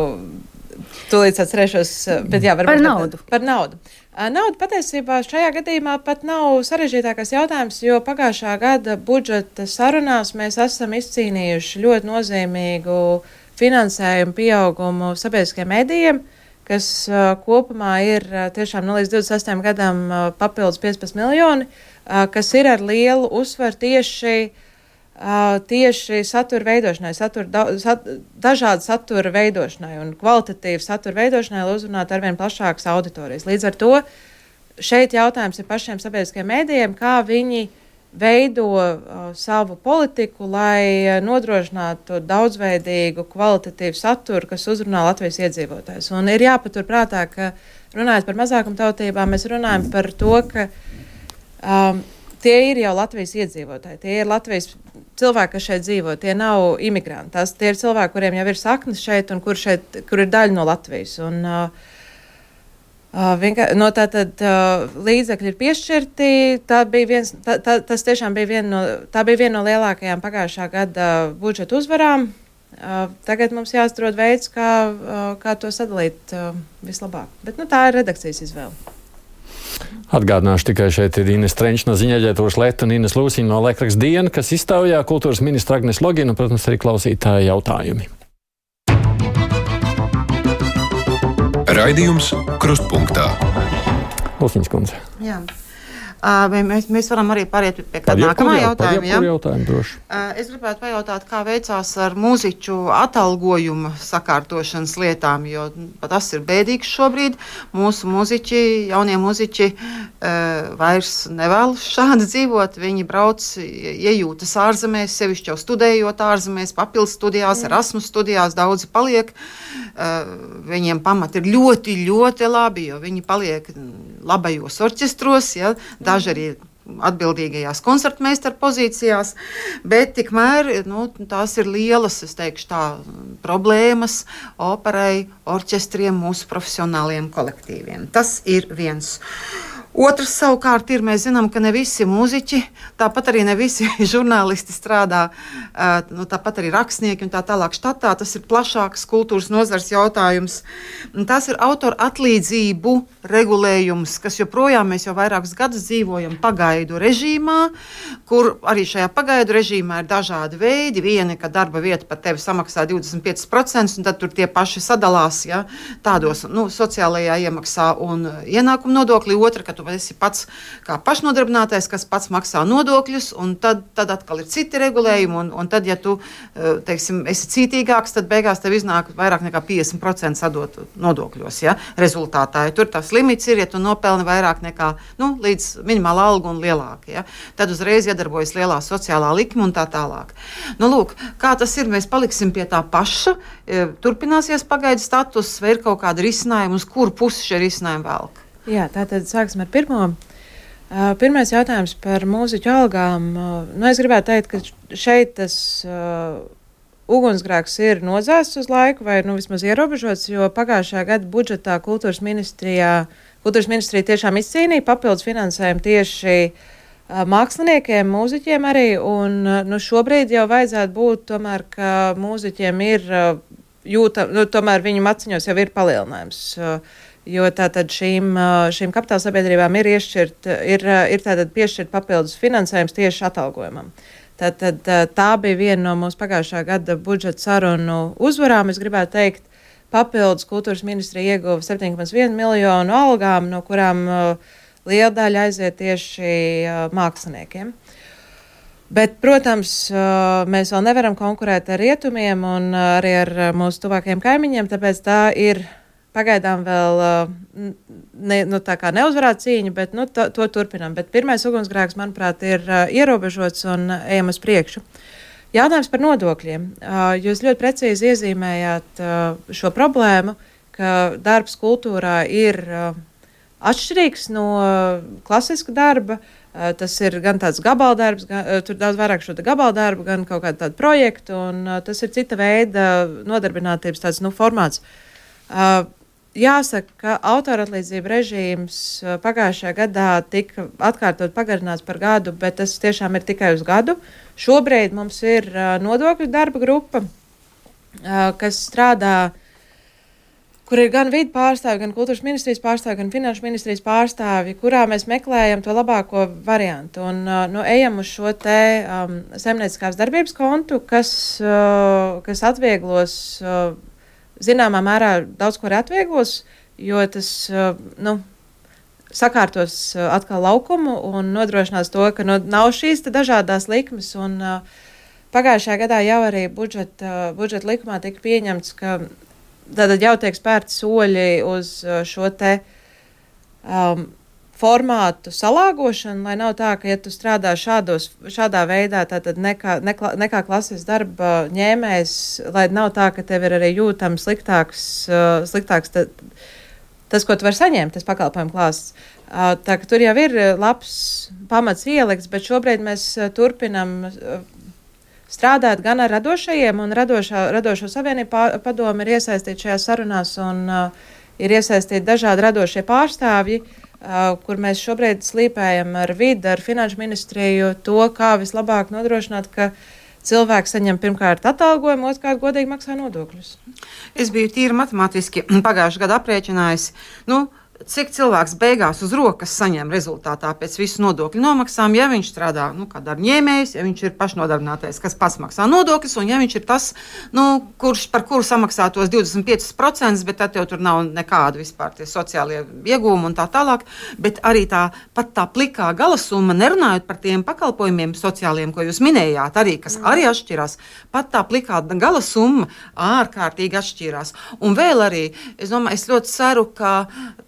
Tūlīt atcerēšos, bet jā, par naudu. Par naudu. Nauda patiesībā šajā gadījumā pat nav sarežģītākais jautājums, jo pagājušā gada budžeta sarunās mēs esam izcīnījuši ļoti nozīmīgu finansējumu pieaugumu sabiedriskajiem medijiem, kas uh, kopumā ir uh, tiešām no līdz divdesmit sestajam gadam uh, papildus piecpadsmit miljoni, uh, kas ir ar lielu uzsvaru tieši Uh, tieši satura veidošanai, satura, da, sat, dažādu satura veidošanai un kvalitatīvu satura veidošanai, lai uzrunātu arvien plašākas auditorijas. Līdz ar to šeit jautājums ir pašiem sabiedriskajiem mēdījiem, kā viņi veido uh, savu politiku, lai uh, nodrošinātu daudzveidīgu kvalitatīvu saturu, kas uzrunā Latvijas iedzīvotājus. Un ir jāpatur prātā, ka runājot par mazākumtautībām, mēs runājam par to, ka um, tie ir jau Latvijas iedzīvotāji, tie ir Latvijas cilvēki, kas šeit dzīvo, tie nav imigranti. Tās, tie ir cilvēki, kuriem jau ir saknes šeit un kur, šeit, kur ir daļa no Latvijas. Un, uh, uh, vienkā, no tā tad uh, līdzekļi ir piešķirti. Tā bija viens, tā, tā, tas tiešām bija viena no, tā bija viena no lielākajām pagājušā gada budžeta uzvarām. Uh, tagad mums jāatrod veids, kā, uh, kā to sadalīt uh, vislabāk. Bet nu, tā ir redakcijas izvēle. Atgādināšu tikai šeit ir Ines Trenčs no Ziņaģentūras Leta un Ines Lūsiņa no Laikraksta Diena, kas iztaujā kultūras ministra Agnes Logina un, protams, arī klausītāja jautājumi. Raidījums Krustpunktā. Lūsiņas kundze. Jā. Uh, mēs, mēs varam arī pāriet pie kāda nākamā jautājuma. Ja? Jautājumu droši. Uh, es gribētu pajautāt, kā veicās ar mūziķu atalgojuma sakārtošanas lietām, jo tas ir bēdīgs šobrīd. Mūsu mūziķi, jaunie mūziķi uh, vairs nevēlas šādi dzīvot. Viņi brauc, iejūtas ārzemēs, sevišķi jau studējot ārzemēs, papildus studijās, Erasmus studijās, daudzi paliek. Uh, viņiem pamati ir ļoti, ļoti labi, jo viņi paliek labajos orķestros, ja, daži arī atbildīgajās koncertmeistara pozīcijās, bet tikmēr nu, tās ir lielas, es teikšu tā, problēmas operai, orķestriem, mūsu profesionāliem kolektīviem. Tas ir viens. Otrs savukārt ir, mēs zinām, ka ne visi mūziķi, tāpat arī ne visi žurnālisti strādā, nu, tāpat arī rakstnieki un tā tālāk štatā. Tas ir plašāks kultūras nozars jautājums. Tas ir autora atlīdzību regulējums, kas joprojām mēs jau vairākus gadus dzīvojam pagaidu režīmā, kur arī šajā pagaidu režīmā ir dažādi veidi. Vieni, ka darba vieta par tevi samaksā divdesmit piecus procentus, un tad tur tie paši sadalās, ja, tādos nu, sociālajā iemaksā un ienākumu nodokli. Otra, ka tu esi pats kā pašnodarbinātais, kas pats maksā nodokļus, un tad, tad atkal ir citi regulējumi, un, un tad, ja tu, teiksim, esi cītīgāks, tad beigās tev iznāk vairāk nekā piecdesmit procenti sadot nodokļos, ja, rezultātā. Ja tur tas limits ir, ja tu nopelni vairāk nekā, nu, līdz minimāla alga un lielāka, ja, tad uzreiz iedarbojas lielā sociālā likme un tā tālāk. Nu, lūk, kā tas ir, mēs paliksim pie tā paša, turpināsies pagaidu status, vai ir kaut kāda risinājuma, uz kuru pusi šie risinājumi velk? Jā, tātad sāksim ar pirmo. Uh, pirmais jautājums par mūziķu algām. Uh, nu, es gribētu teikt, ka šeit tas uh, ugunsgrēks ir nodzēsts uz laiku vai nu, vismaz ierobežots, jo pagājušajā gada budžetā kultūras ministrijā kultūras ministrija tiešām izcīnīja papildus finansējumu tieši uh, māksliniekiem, mūziķiem arī, un uh, nu, šobrīd jau vajadzētu būt tomēr, ka mūziķiem ir uh, jūta, nu, tomēr viņu maciņos jau ir palielinājums. Uh, Jo tātad šīm, šīm kapitāla sabiedrībām ir, iešķirt, ir, ir tātad piešķirt papildus finansējums tieši atalgojumam. Tātad tā bija viena no mūsu pagājušā gada budžeta sarunu uzvarām. Es gribētu teikt, papildus kultūras ministrija ieguva septiņi komats viens miljonu algām, no kurām uh, liela daļa aiziet tieši uh, māksliniekiem. Bet, protams, uh, mēs vēl nevaram konkurēt ar rietumiem un uh, arī ar uh, mūsu tuvākajiem kaimiņiem, tāpēc tā ir pagaidām vēl ne, nu, tā kā neuzvarēta cīņa, bet nu, to, to turpinām. Bet pirmais ugunsgrēks, manuprāt, ir uh, ierobežots un uh, ejam uz priekšu. Jautājums par nodokļiem. Uh, jūs ļoti precīzi iezīmējāt uh, šo problēmu, ka darbs kultūrā ir uh, atšķirīgs no uh, klasiska darba. Uh, tas ir gan tāds gabaldarbs, gan, uh, tur daudz vairāk šo gabaldarbu, gan kaut kādu tādu projektu, un uh, tas ir cita veida nodarbinātības tāds, nu, formāts. Uh, Jāsaka, ka autoratlīdzība režīms pagājušajā gadā tika atkārtot pagarināts par gadu, bet tas tiešām ir tikai uz gadu. Šobrīd mums ir uh, nodokļu darba grupa, uh, kas strādā, kur ir gan vidu pārstāvi, gan kultūras ministrijas pārstāvi, gan finanšu ministrijas pārstāvi, kurā mēs meklējam to labāko variantu. Un uh, nu, ejam uz šo te um, saimnieciskās darbības kontu, kas, uh, kas atvieglos uh, zināmā mērā daudz ko atvieglos, jo tas uh, nu, sakārtos uh, atkal laukumu un nodrošinās to, ka nu, nav šīs dažādās likmes. Un, uh, pagājušajā gadā jau arī budžeta, uh, budžeta likumā tika pieņemts, ka tātad jau tiek spērti soļi uz uh, šo te um, formātu salāgošanu, lai nav tā, ka, ja tu strādā šādos, šādā veidā, tātad nekā, nekā, nekā klases darba ņēmējs, lai nav tā, ka tev ir arī jūtams sliktāks, uh, sliktāks ta, tas, ko tu vari saņemt, tas pakalpojumu klāsts. Uh, tā ka tur jau ir labs pamats ielikts, bet šobrīd mēs uh, turpinam uh, strādāt gan ar radošajiem, un radošā, radošo savienību padomi ir iesaistīti šajās sarunās, un uh, ir iesaistīti dažādi radošie pārstāvji, Uh, kur mēs šobrīd slīpējam ar vidi, ar finanšu ministriju to, kā vislabāk nodrošināt, ka cilvēks saņem pirmkārt atalgojumu, otrkārt godīgi maksā nodokļus. Es biju tīri matemātiski pagājušajā gadā aprēķinājis, nu, cik cilvēks beigās uz rokas saņem rezultātā pēc visu nodokļu nomaksām, ja viņš strādā, nu, kā darba ņēmējs, ja viņš ir pašnodarbinātais, kas pats maksā nodokļus, un ja viņš ir tas, nu, kurš par kuru samaksā tos divdesmit pieci procenti, bet tad jau tur nav nekāda vispār tie sociālie iegūmi un tā tālāk, bet arī tā, pat tā plikā galasumma, nerunājot par tiem pakalpojumiem sociāliem, ko jūs minējāt, arī, kas mm. arī atšķirās, pat tā plikā galasumma ārkārtīgi atšķirās. Un vēl arī, es domāju, es ļoti ceru, ka,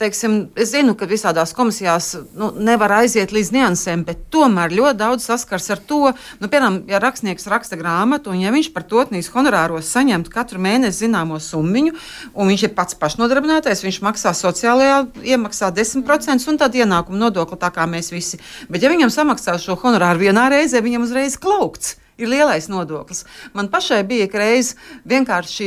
teiksim, es zinu, ka visādās komisijās nu, nevar aiziet līdz niansēm, bet tomēr ļoti daudz saskars ar to, nu, piemēram, ja rakstnieks raksta grāmatu, un ja viņš par totnīs honorāros saņemtu katru mēnesi zināmo summiņu, un viņš ir pats pašnodarbinātais, viņš maksā sociālajā iemaksā desmit procenti un tad ienākumu nodokli tā kā mēs visi. Bet ja viņam samaksā šo honorāru vienā reizē, viņam uzreiz klaukts. Ir lielais nodoklis. Man pašai bija reiz vienkārši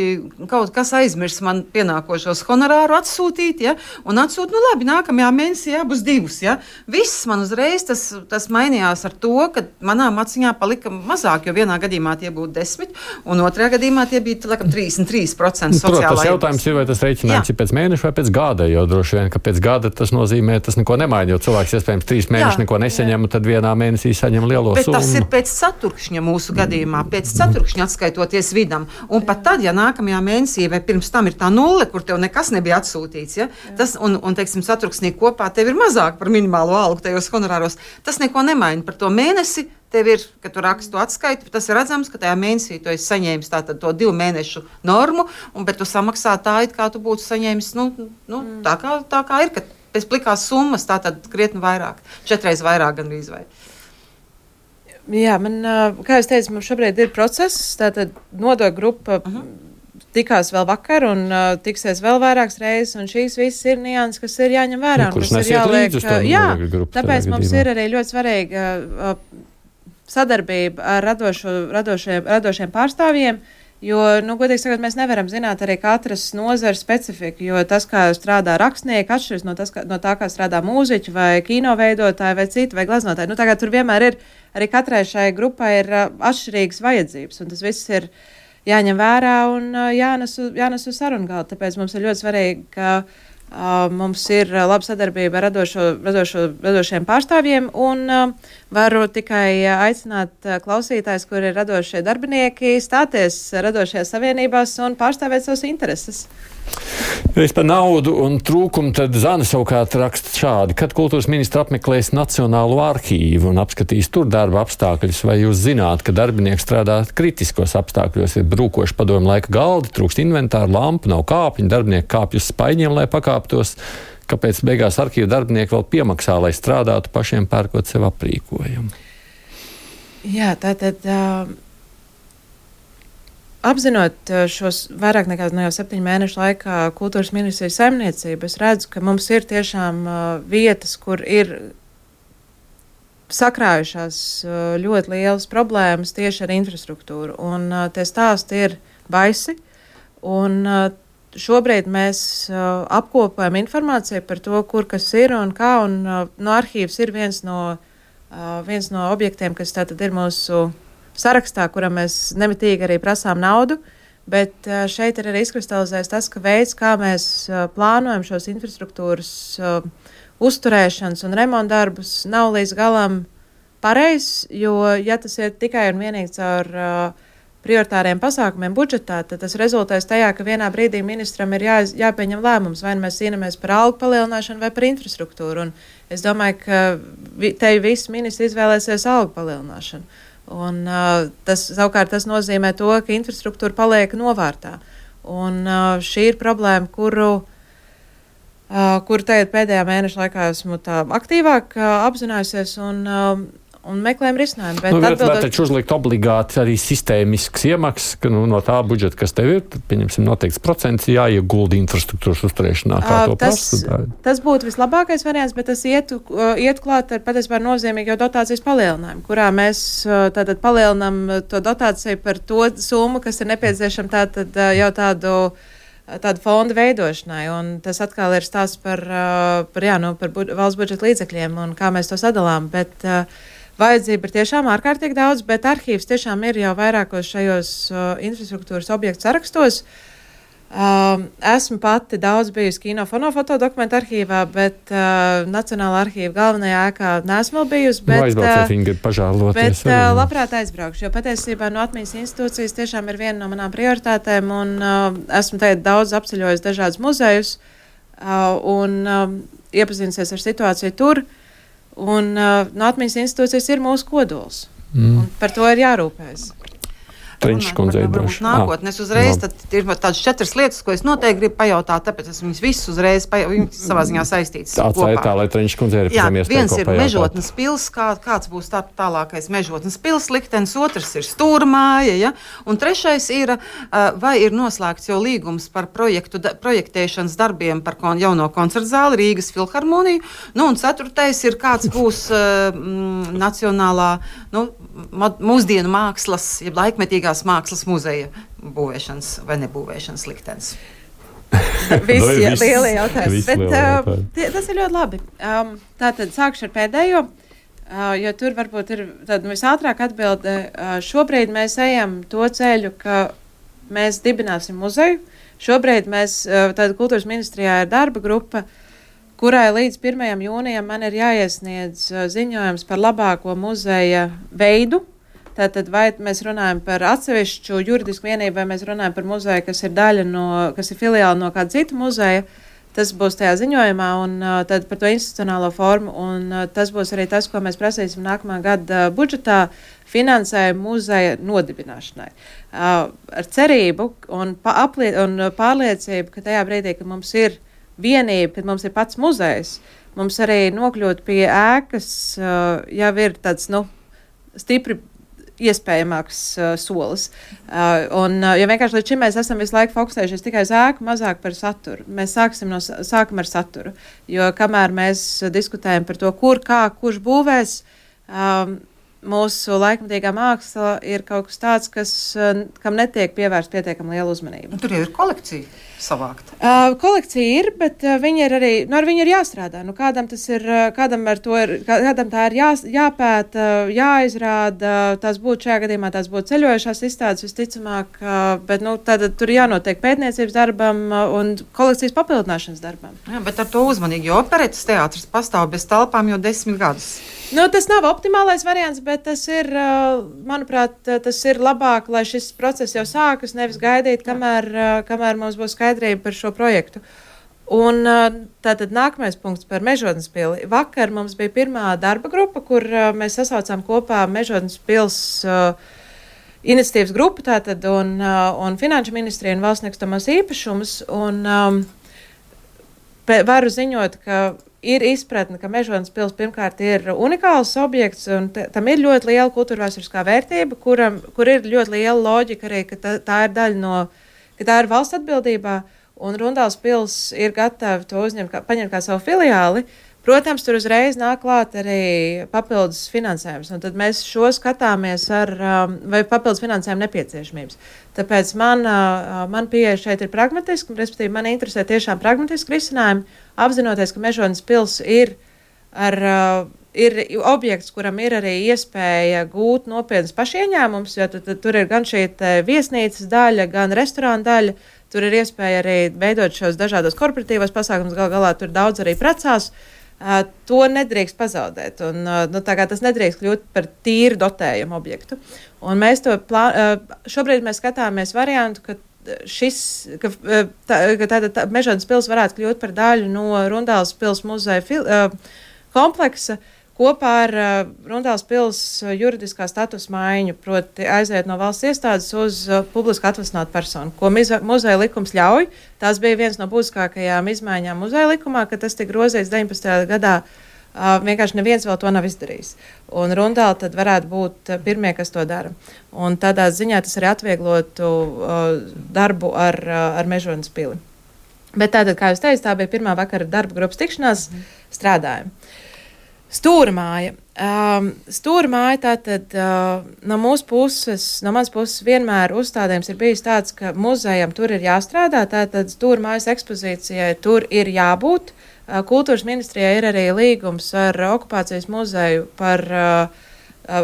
kaut kas aizmirst man pienākošos honorāru atsūtīt, ja, un atsūt, nu labi, nākamajā mēnesī jābūs divus, ja. Viss man uzreiz tas, tas mainījās ar to, ka manā maciņā palika mazāk, jo vienā gadījumā tie būtu desmit, un otrajā gadījumā tie bija, laikam, trīsdesmit trīs procenti sociālā. Tas jautājums ir, vai tas reiķinājums ir pēc mēneša vai pēc gada, jo droši vien, ka pēc gada tas nozīmē, tas neko nemaina, jo cilvēks iespējams trīs mēneši neko nesaņem, un tad vienā mēnesī saņem lielo bet summu. Tas ir pēc ceturkšņa mūsu gadījumā, pēc ceturkšņa atskaitoties vidam. Un pat tad, ja nākamajā mēnesī vai pirms tam ir tā nulle, kur tev nekas nebija atsūtīts, ja, tas, un, un, teiksim, ceturksnī kopā tev ir mazāk par minimālo algu tajos honorāros, tas neko nemaina par to mēnesi. Tev ir, kad tu raksti to atskaitu, tas ir redzams, ka tajā mēnesī tu esi saņēmis tātad to divu mēnešu normu, un, bet tu samaksā tā, it kā tu būtu saņēmis, nu, nu mm. tā, kā, tā kā ir, ka pēc plikās summas tātad krietni vairāk, četreiz vairāk gandrīz vai. Jā, man, kā es teicu, mums šobrīd ir process, tātad nodokļu grupa uh-huh. tikās vēl vakar un uh, tiksies vēl vairākas reizes, un šīs visas ir nianses, kas ir jāņem vērā. Kurš nesiet līdz uz to nodokļu grupu. Tāpēc mums ir arī ļoti svarīga uh, sadarbība ar radošo, radošiem, radošiem pārstāvjiem, Jo, nu, godīgi sakot, mēs nevaram zināt arī katras nozares specifiku, jo tas, kā strādā rakstnieki, atšķiras no, tas, kā, no tā, kā strādā mūziķi vai kino veidotāji vai citi vai gleznotāji. Nu, tagad tur vienmēr ir, arī katrai šai grupai ir uh, atšķirīgas vajadzības, un tas viss ir jāņem vērā un uh, jānes, jānes uz sarunu galdu. Tāpēc mums ir ļoti svarīgi, ka Uh, mums ir uh, laba sadarbība ar radošo, radošo, radošiem pārstāvjiem, un uh, varu tikai uh, aicināt uh, klausītājs, kuri ir radošie darbinieki, stāties radošajās savienībās un pārstāvēt savas intereses. Es par naudu un trūkumu tad Zana savukārt raksta šādi. Kad kultūras ministra apmeklēs Nacionālo arhīvu un apskatīs tur darba apstākļus, vai jūs zināt, ka darbinieki strādā kritiskos apstākļos, ir brūkoši padomu laika galdi, trūkst inventāru, lampu, nav kāpņu, darbinieki kāpj uz spaiņiem, lai pakāptos. Kāpēc beigās arhīva darbinieki vēl piemaksā, lai strādātu pašiem pērkot sev aprīkojumu? Jā, tātad... Uh... Apzinot šos vairāk nekā no jau septiņu mēnešu laikā kultūras ministrijas saimniecību, es redzu, ka mums ir tiešām uh, vietas, kur ir sakrājušās uh, ļoti lielas problēmas tieši ar infrastruktūru. Un uh, tie stāsti ir baisi. Un uh, šobrīd mēs uh, apkopojam informāciju par to, kur kas ir un kā. Un uh, no arhīvs ir viens no, uh, viens no objektiem, kas tātad ir mūsu sarakstā, kuram mēs nemitīgi arī prasām naudu, bet šeit ir arī izkristalizējis tas, ka veids, kā mēs plānojam šos infrastruktūras uh, uzturēšanas un remontdarbus, nav līdz galam pareizs, jo, ja tas ir tikai un vienīgi caur uh, prioritāriem pasākumiem budžetā, tad tas rezultēs tajā, ka vienā brīdī ministram ir jā, jāpieņem lēmums, vai mēs cīnāmies par algu palielināšanu vai par infrastruktūru. Un es domāju, ka vi, te visi ministri izvēlēsies algu palielināšanu. Un, uh, tas, savukārt tas nozīmē to, ka infrastruktūra paliek novārtā. Un, uh, šī ir problēma, kuru, uh, kuru tagad pēdējā mēneša laikā esmu tā aktīvāk uh, apzinājusies un, uh, un meklējam risinājumu. Bet nu, atbildot... Var taču uzlikt obligāti arī sistēmisks iemaksas, ka nu, no tā budžeta, kas tev ir, tad, pieņemsim, noteikts procents jāiegulda infrastruktūras uzturēšanā. Kā to tas, prasa? Tas būtu vislabākais variants, bet tas ietu, iet klāt ar patiesībā nozīmīgu jau dotācijas palielinājumu, kurā mēs tātad palielinām to dotāciju par to summu, kas ir nepieciešama tātad jau tādu tādu fondu veidošanai, un tas atkal ir stāsts par, par, jā, nu, par bu- valsts budžeta līdzekļiem un kā mēs to sadalām, bet uh, vajadzība ir tiešām ārkārtīgi daudz, bet arhīvs tiešām ir jau vairākos šajos uh, infrastruktūras objektu sarakstos. Uh, esmu pati daudz bijusi kino fonofotodokumentu arhīvā, bet uh, Nacionālā arhīva galvenajā ēkā neesmu vēl bijusi. Bet, nu, aizbrauciet, viņi grib pažāloties. Bet uh, labprāt aizbraukšu, jo patiesībā no atmiņas institūcijas tiešām ir viena no manām prioritātēm, un uh, esmu tagad daudz apceļojis dažādus muzejus uh, un uh, iepazinusies ar situāciju tur. Un uh, no atmiņas institūcijas ir mūsu kodols. Mm. Un par to ir jārūpējas. Treniņš kundzei došu. Nākotnē es uzreiz, tad ir tādas četras lietas, ko es noteikti gribu pajautāt, tāpēc es viņas visas uzreiz pajau, viņas savā ziņā saistītas kopā. Atstāja tā, lai Treniņš kundzei ir pēc iespēja viens ir Mežotnes pils, kā, kāds būs tā, tālākais Mežotnes pils liktenis, otrs ir Stūrmāja, ja? Un trešais ir, vai ir noslēgts jau līgums par projektu, da, projektēšanas darbiem par kon, jauno koncertu zāli Rīgas filharmoniju, nu un ceturtais ir, kāds būs uh, m, nacionālā, nu, mūsdienu mākslas, ja laikmetīgā mākslas muzeja būvēšanas vai nebūvēšanas liktenis. Visi jā, lielie jautājumi. Bet uh, tie, tas ir ļoti labi. Um, tātad sākšu ar pēdējo, uh, jo tur varbūt ir tāda visātrāk atbilde. Uh, šobrīd mēs ejam to ceļu, ka mēs dibināsim muzeju. Šobrīd mēs, uh, tāda kultūras ministrijā ir darba grupa, kurai līdz pirmajam jūnijam man ir jāiesniedz uh, ziņojums par labāko muzeja veidu. Tātad vai mēs runājam par atsevišķu juridisku vienību, vai mēs runājam par muzeju, kas ir daļa no, kas ir filiāli no kāda cita muzeja, tas būs tajā ziņojumā, un uh, tad par to institucionālo formu, un uh, tas būs arī tas, ko mēs prasīsim nākamā gada uh, budžetā finansējumu muzeja nodibināšanai. Uh, ar cerību un, pa, aplie, un pārliecību, ka tajā brīdī, kad mums ir vienība, kad mums ir pats muzejs, mums arī nokļūt pie ēkas, uh, jau ir tāds, nu, stipri iespējamāks uh, solis. Uh, un, uh, ja vienkārši līdz šim mēs esam visu laiku fokusējušies tikai uz ēku, mazāk par saturu. Mēs sāksim no, sākam ar saturu, jo kamēr mēs diskutējam par to, kur, kā, kurš būvēs, um, mūsu laikmatīgā māksla ir kaut kas tāds, kas, kam netiek pievērsta pietiekami liela uzmanība. Nu, tur jau ir kolekcija savākta. Uh, kolekcija ir, bet uh, viņi ir arī, nu, ar viņu ir jāstrādā. Nu, kādam tas ir, kādam ar to ir, kādam tā ir jā, jāpēta, jāizrāda, tās būtu šajā gadījumā, tās būtu ceļojušās izstādes visticamāk, uh, bet, nu, tad tur jānotiek pētniecības darbam uh, un kolekcijas papildināšanas darbam. Jā, bet ar to uzmanīgi, jo operetes teātris pastāv bez telpām jau desmit gadus. Nu, tas nav optimālais variants, bet tas ir, manuprāt, tas ir labāk, lai šis process jau sākas, nevis gaidīt, kamēr, kamēr mums būs skaidrība par šo projektu. Un tātad nākamais punkts par Mežodnes pili. Vakar mums bija pirmā darba grupa, kur mēs sasaucām kopā Mežodnes pils iniciatīvas grupu tātad un, un Finanšu ministriju un valsts nekustamos īpašumus. Un um, varu ziņot, ka ir izpratne, ka Mežodnes pils pirmkārt ir unikāls objekts, un t- tam ir ļoti liela kultūrvēsturiskā vērtība, kuram, kur ir ļoti liela loģika arī, ka tā, tā ir daļa no, ka tā ir valsts atbildībā, un Rundāls pils ir gatavi to uzņemt, kā, paņemt kā savu filiāli. Protams, tur uzreiz nāk klāt arī papildus finansējums, un tad mēs šo skatāmies ar, vai papildus finansējumu nepieciešamības. Tāpēc man, man pieeja šeit ir pragmatiski, respektīvi man interesē tiešām pragmatiski risinājumi, apzinoties, ka Mežodnes pils ir, ar, ir objekts, kuram ir arī iespēja gūt nopietnas pašieņēmums, jo tu, tu, tur ir gan šī viesnīcas daļa, gan restorāna daļa, tur ir iespēja arī veidot šos dažādos korporatīvos pasākumus, gal galā tur daudz arī precās. Uh, to nedrīkst pazaudēt, un uh, nu, tā kā tas nedrīkst kļūt par tīru dotējumu objektu. Un mēs to plā, uh, šobrīd mēs skatāmies variantu, ka šis, ka, uh, tā, ka tāda tā, Mežodnes pils varētu kļūt par daļu no Rundāls pils muzeja fil, uh, kompleksa, kopā ar uh, Rundāls pils juridiskā status maiņu, proti aiziet no valsts iestādes uz uh, publiski atvasinātu personu, ko mize, muzeja likums ļauj. Tās bija viens no būtiskākajām izmaiņām muzeja likumā, ka tas tika grozīts deviņpadsmitajā gadā. Uh, vienkārši neviens vēl to nav izdarījis. Un Rundāli tad varētu būt uh, pirmie, kas to dara. Un tādā ziņā tas arī atvieglotu uh, darbu ar, uh, ar Mežodnes pili. Bet tātad, kā jūs teicat, tā bija pirmā vakara darba grupas tikšanās, mm. strādājumi. Stūra māja. Um, stūra māja tātad uh, no mūsu puses, no manas puses vienmēr uzstādījums ir bijis tāds, ka muzejam tur ir jāstrādā, tātad stūra mājas ekspozīcijai tur ir jābūt. Uh, kultūras ministrijai ir arī līgums ar okupācijas muzeju par, uh,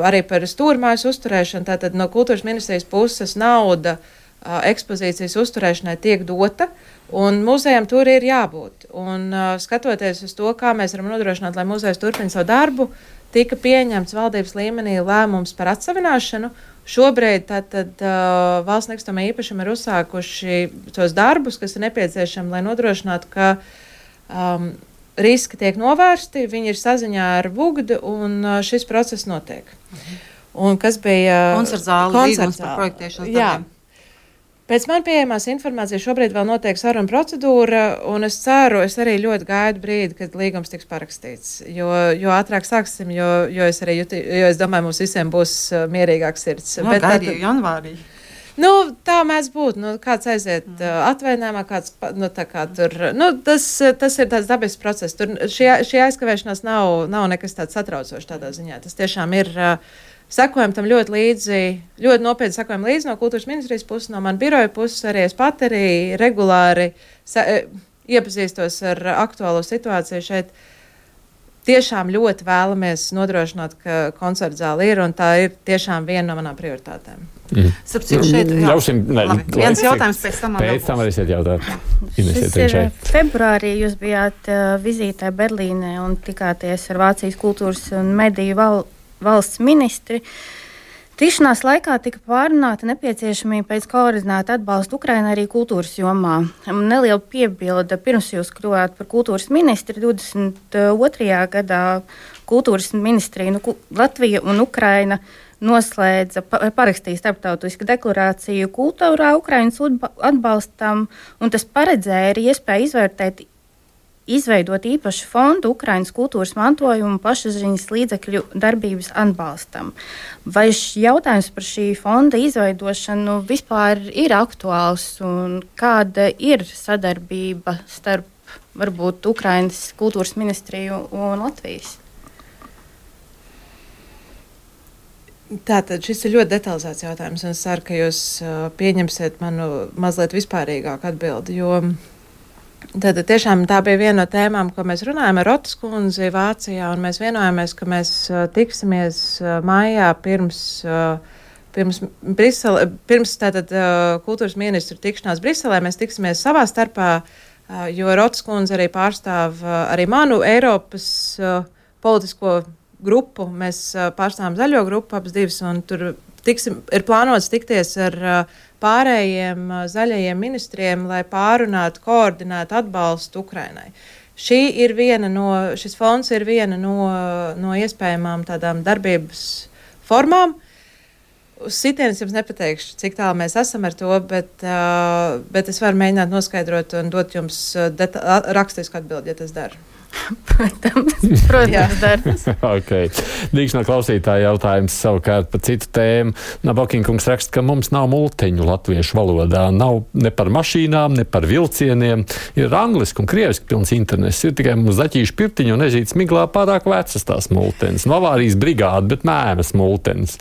arī par stūra mājas uzturēšanu, tātad no kultūras ministrijas puses nauda uh, ekspozīcijas uzturēšanai tiek dota. Un muzejam tur ir jābūt. Un, uh, skatoties uz to, kā mēs varam nodrošināt, lai muzejs turpina savu darbu, tika pieņemts valdības līmenī lēmums par atsavināšanu. Šobrīd tātad, uh, valsts nekustamā īpašuma ir uzsākuši tos darbus, kas ir nepieciešami, lai nodrošinātu, ka um, riski tiek novērsti, viņi ir saziņā ar Vugdu, un uh, šis process notiek. Mhm. Un kas bija koncertzāle, līgums par projektēšanas darbiem. Pēc man pieejamās informācijas šobrīd vēl notiek saruna procedūra, un es ceru, es arī ļoti gaidu brīdi, kad līgums tiks parakstīts. Jo, jo ātrāk sāksim, jo, jo, es arī juti, jo es domāju, mums visiem būs uh, mierīgāks sirds. No, Bet gaidīju tad, janvārī. Nu, tā mēdz būt. Nu, kāds aiziet mm. uh, atvainājumā, kāds, nu, tā kā tur, nu, tas, tas ir tāds dabisks process. Tur šī, šī aizkavēšanās nav, nav nekas tāds satraucošs tādā ziņā. Tas tiešām ir... Uh, Sekojam tam ļoti līdzi, ļoti nopietni sekojam līdzi no kultūras ministrijas puses, no man biroja puses, arī es pat arī regulāri sa, iepazīstos ar aktuālo situāciju šeit. Tiešām ļoti vēlamies nodrošināt, ka koncertzāle ir, un tā ir tiešām viena no manām prioritātēm. Mm. Sapcīt, šeit, jā. Ļausim, ne, Labi, viens jautājums pēc tam. Pēc tam varēsiet jautāt. Šis ir februārī, jūs bijāt uh, vizītē Berlīnē un tikāties ar Vācijas kultūras un mediju val valsts ministri. Tikšanās laikā tika pārunāta nepieciešamība pēc koordinēta atbalsta Ukrainai arī kultūras jomā. Neliela piebilde, pirms jūs kļuvāt par kultūras ministri divdesmit otrajā gadā kultūras ministrija, nu, Latvija un Ukraina noslēdza, parakstīja starptautisku deklarāciju kultūrā Ukrainas atbalstam, un tas paredzēja arī iespēju izvērtēt izveidot īpašu fondu Ukrainas kultūras mantojumu pašaziņas līdzekļu darbības atbalstam. Vai jautājums par šī fonda izveidošanu vispār ir aktuāls un kāda ir sadarbība starp varbūt Ukrainas kultūras ministriju un Latvijas? Tātad šis ir ļoti detalizēts jautājums, un es ceru, ka jūs uh, pieņemsiet manu mazliet vispārīgāku atbildi, jo tātad tiešām tā bija viena no tēmām, ko mēs runājam ar Rotas kundzi Vācijā, un mēs vienojāmies, ka mēs uh, tiksimies uh, maijā pirms, uh, pirms, Brisele, pirms tātad uh, kultūras ministru tikšanās Briselē, mēs tiksimies savā starpā, uh, jo Rotas kundze arī pārstāv uh, arī manu Eiropas uh, politisko grupu, mēs uh, pārstāvam zaļo grupu abas divas, un tur tiksim, ir plānots tikties ar uh, pārējiem uh, zaļajiem ministriem, lai pārunātu, koordinētu atbalstu Ukrainai. Šī ir viena no, šis fonds ir viena no, no iespējamām tādām darbības formām. Uz sitienas jums nepateikšu, cik tālu mēs esam ar to, bet, uh, bet es varu mēģināt noskaidrot un dot jums uh, deta- rakstisku atbildi, ja tas dara. Protams, protams dara. Okay. Dīkšanā klausītāja jautājums savukārt par citu tēmu. Nabokinkungs raksta, ka mums nav multiņu latviešu valodā. Nav ne par mašīnām, ne par vilcieniem. Ir angliski un krieviski pilns internets. Ir tikai mums zaķīšu pirtiņu un ežītas miglā pārāk vecas tās multenes. No avārijas brigāde, bet mēmas multenes.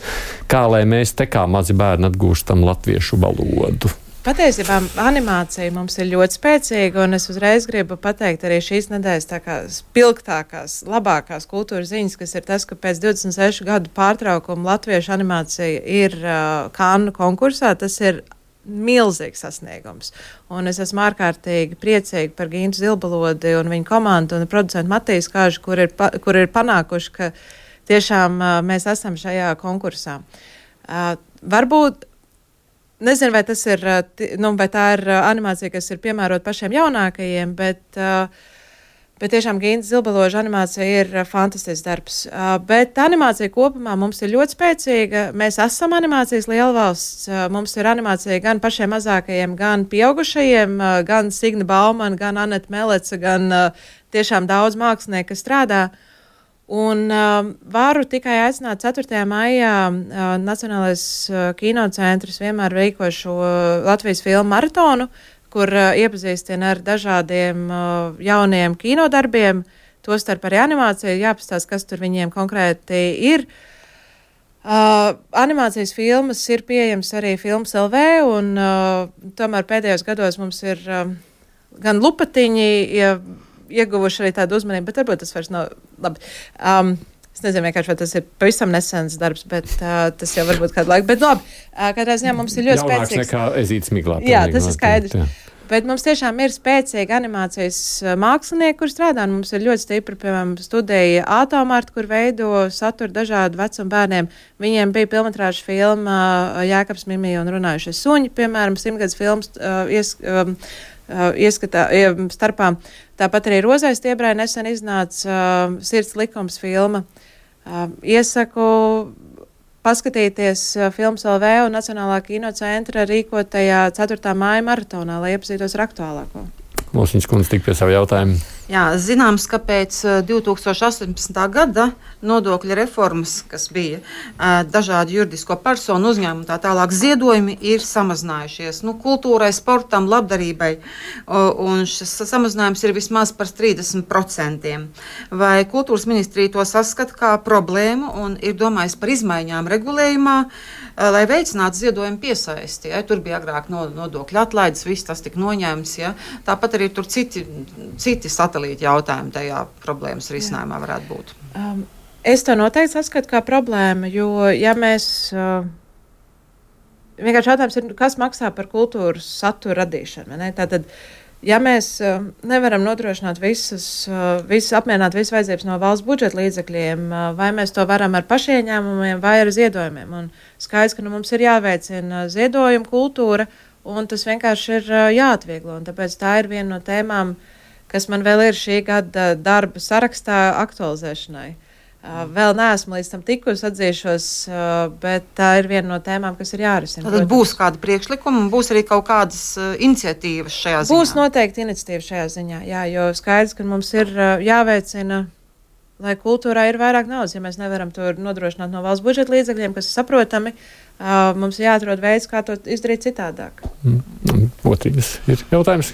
Kā lai mēs te kā mazi bērni atgūstam latviešu valodu? Patiesībā animācija mums ir ļoti spēcīga, un es uzreiz gribu pateikt arī šīs nedēļas tā kā spilgtākās, labākās kultūras ziņas, kas ir tas, ka pēc divdesmit sešu gadu pārtraukuma latviešu animācija ir uh, Kannu konkursā. Tas ir milzīgs sasniegums. Un es esmu ārkārtīgi priecīga par Gintu Zilbalodi un viņa komandu un producentu Matīs Kāžu, kur ir, pa, kur ir panākuši, ka tiešām uh, mēs esam šajā konkursā. Uh, varbūt Nezinu, vai, tas ir, nu, vai tā ir animācija, kas ir piemērota pašiem jaunākajiem, bet, bet tiešām Ginta Zilbaloža animācija ir fantastisks darbs. Bet animācija kopumā mums ir ļoti spēcīga. Mēs esam animācijas lielvalsts. Mums ir animācija gan pašiem mazākajiem, gan pieaugušajiem, gan Signa Baumana, gan Aneta Meleca, gan tiešām daudz mākslinieku, kas strādā. Un uh, varu tikai aicināt ceturtajā maijā uh, Nacionālais uh, kinocentrs vienmēr rīko šo uh, Latvijas filmu maratonu, kur uh, iepazīstina ar dažādiem uh, jauniem kinodarbiem, tostarp arī animācija, jāpastāst, kas tur viņiem konkrēti ir. Uh, animācijas filmas ir pieejams arī Films L V, un uh, tomēr pēdējos gados mums ir uh, gan lupatiņi, ja, ieguvuši arī tādu uzmanību, bet varbūt tas vairs nav labi. Um, es nezinu, vienkārši, vai tas ir pavisam nesens darbs, bet uh, tas jau varbūt kādu laiku. Bet labi, uh, katrā ziņā mums ir ļoti Jaunāks spēcīgs. Jaunāks nekā ezītas miglā. Jā, tas ir skaidrs. Jā. Bet mums tiešām ir spēcīgi animācijas mākslinieki, kur strādā. Mums ir ļoti stipri, piemēram, studija Ātomārta, kur veido saturu dažādu vecumu bērniem. Viņiem bija pilnmetrāža filma Jēkabs Mimija un runājušie suņi, piemēram, simtgadus filmas uh, ies, um, uh, ieskatā uh, starpā. Tāpat arī Rozai Stiebrai nesen iznāca uh, Sirds likums filma. Uh, iesaku paskatīties uh, Films L V un Nacionālā kinocentra rīkotajā ceturtā māja maratonā, lai iepazītos ar aktuālāko. Mūsiņas kundze tik pie savu jautājumu. Jā, zināms, ka pēc divi tūkstoši astoņpadsmitā gada nodokļa reformas, kas bija dažādu juridisko personu uzņēmumu tā tālāk, ziedojumi ir samazinājušies. Nu, kultūrai, sportam, labdarībai, un šis samazinājums ir vismaz par trīsdesmit procentiem. Vai kultūras ministrija to saskata kā problēmu un ir domājis par izmaiņām regulējumā, lai veicinātu ziedojumu piesaisti? Ja? Tur bija agrāk nodokļu atlaides, viss tas tika noņēmts. Ja? Tāpat arī tur citi, citi satelīti jautājumi tajā problēmas risinājumā varētu būt. Um, es to noteikti saskatu kā problēmu, jo ja mēs, uh, vienkārši jautājums ir, kas maksā par kultūras satura radīšanu, ne? Tātad, ja mēs uh, nevaram nodrošināt visas, uh, visas apmierināt visas vajadzības no valsts budžeta līdzekļiem, uh, vai mēs to varam ar pašieņēmumiem vai ar ziedojumiem, un skaidrs, ka nu, mums ir jāveicina ziedojuma kultūra, un tas vienkārši ir uh, jāatvieglo, un tāpēc tā ir viena no tēmām, kas man vēl ir šī gada darba sarakstā aktualizēšanai. Uh, vēl neesmu līdz tam tikusi, atzīšos, uh, bet tā ir viena no tēmām, kas ir jārisina. Tad būs kāda priekšlikuma un būs arī kaut kādas uh, iniciatīvas šajā ziņā? Būs noteikti iniciatīva šajā ziņā, jā, jo skaidrs, ka mums ir uh, jāveicina, lai kultūrā ir vairāk naudas. Ja mēs nevaram to nodrošināt no valsts budžeta līdzekļiem, kas ir saprotami, uh, mums ir jāatrod veids, kā to izdarīt citādāk. Mm. Otrīs ir jautājums.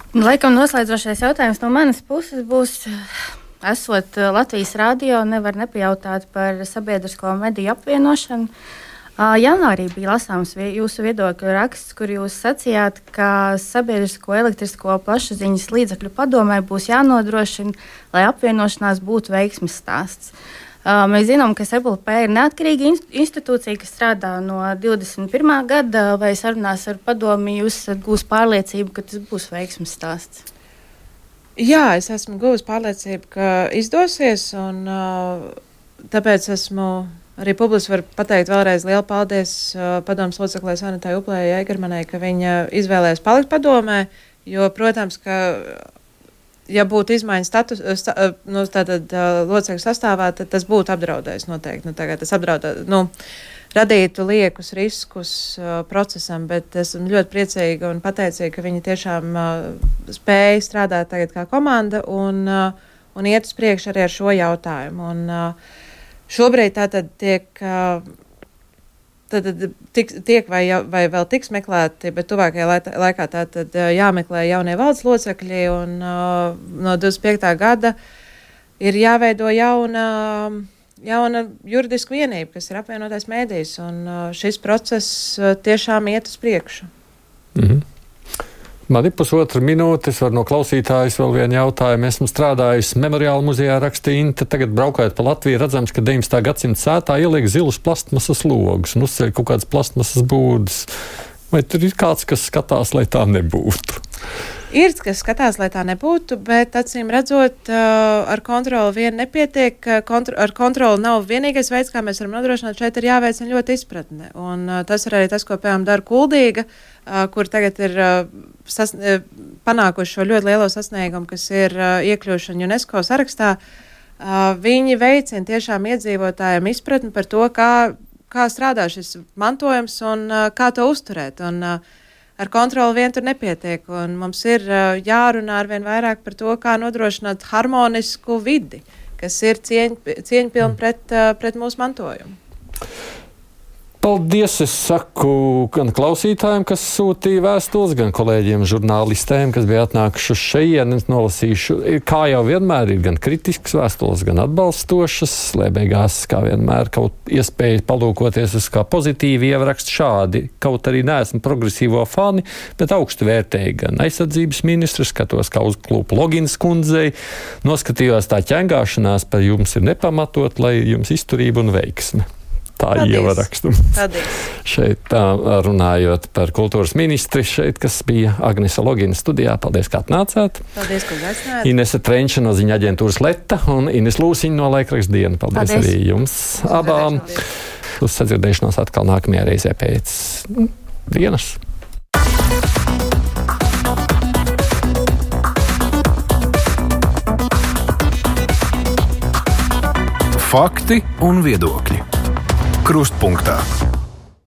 Laikam noslēdzošais jautājums no manas puses būs, esot Latvijas radio, nevar nepajautāt par sabiedrisko mediju apvienošanu. Janvārī bija lasāms jūsu viedokļu raksts, kur jūs sacījāt, ka sabiedrisko elektrisko plašsaziņas līdzekļu padomē būs jānodrošina, lai apvienošanās būtu veiksmes stāsts. Mēs zinām, ka S E P L P ir neatkarīga institūcija, kas strādā no divdesmit pirmā gada, vai sarunās ar padomi jūs gūs pārliecību, ka tas būs veiksmes stāsts? Jā, es esmu gūs pārliecību, ka izdosies, un tāpēc esmu arī publiski var pateikt vēlreiz lielu paldies uh, padomas loceklē Sanitai Uplējai Eigermanai, ka viņa izvēlējās palikt padomē, jo, protams, ka, ja būtu izmaiņas status, sta, nu, tātad uh, locekļu sastāvā, tad tas būtu apdraudējis noteikti. Nu, tagad tas apdraudē, nu, radītu liekus riskus uh, procesam, bet esmu ļoti priecīga un pateicīga, ka viņi tiešām uh, spēja strādāt tagad kā komanda un, uh, un iet uz priekšu arī ar šo jautājumu. Un, uh, Šobrīd tātad tiek, tātad tiek, tiek vai, vai vēl tiks meklēti, bet tuvākajā laikā tātad jāmeklē jaunie valdes locekļi, un no divdesmit piektā gada ir jāveido jauna, jauna juridiska vienība, kas ir apvienotais mēdījis, un šis process tiešām iet uz priekšu. Mhm. Man ir pusotra minūte, es varu no klausītājas vēl vienu jautājumu. Esmu strādājusi Memoriāla muzejā, rakstīja Inte, tagad braukājot pa Latviju, redzams, ka deviņdesmitā gadsimta sētā ieliek zilus plastmasas logus un uzceļ kaut kādas plastmasas būdas. Vai tur ir kāds, kas skatās, lai tā nebūtu? Ir, kas skatās, lai tā nebūtu, bet acīm redzot, ar kontroli vien nepietiek. Kontro, ar kontroli nav vienīgais veids, kā mēs varam nodrošināt. Šeit ir jāveicina ļoti izpratne. Un tas ir arī tas, ko, piemēram, dara Kuldīga, kur tagad ir sas, panākuši šo ļoti lielo sasniegumu, kas ir iekļūšana UNESCO sarakstā. Viņi veicina tiešām iedzīvotājiem izpratni par to, kā, kā strādā šis mantojums un kā to uzturēt. Un, Ar kontroli vien tur nepietiek, un mums ir uh, jārunā arvien vairāk par to, kā nodrošināt harmonisku vidi, kas ir cieņ, cieņpilni pret, uh, pret mūsu mantojumu. Paldies, es saku gan klausītājiem, kas sūtīja vēstules, gan kolēģiem žurnālistēm, kas bija atnākuši uz šejieni, nolasīšu. Kā jau vienmēr ir gan kritisks vēstules, gan atbalstošas, lai beigās, kā vienmēr, kaut iespēja palūkoties uz kā pozitīvi ierakst šādi. Kaut arī neesmu progresīvo fani, bet augstu vērtēju gan aizsardzības ministru, skatos kā uz klūpu Logins kundzei, noskatījos tā ķengāšanās par jums ir nepamatot, lai jums izturība un veiksme. Tā ievarakstu. Šeit tā, runājot par kultūras ministri, šeit, kas bija Agnese Logina studijā. Paldies, kā atnācāt. Paldies, ka uzaicinājāt. Inese Trenča no ziņa aģentūras Leta un Ines Lūsiņa no laikraksta Diena. Paldies, paldies arī jums abām. Uz sadzirdēšanos atkal nākamajā reizē pēc dienas. Fakti un viedokļi. Krustpunktā.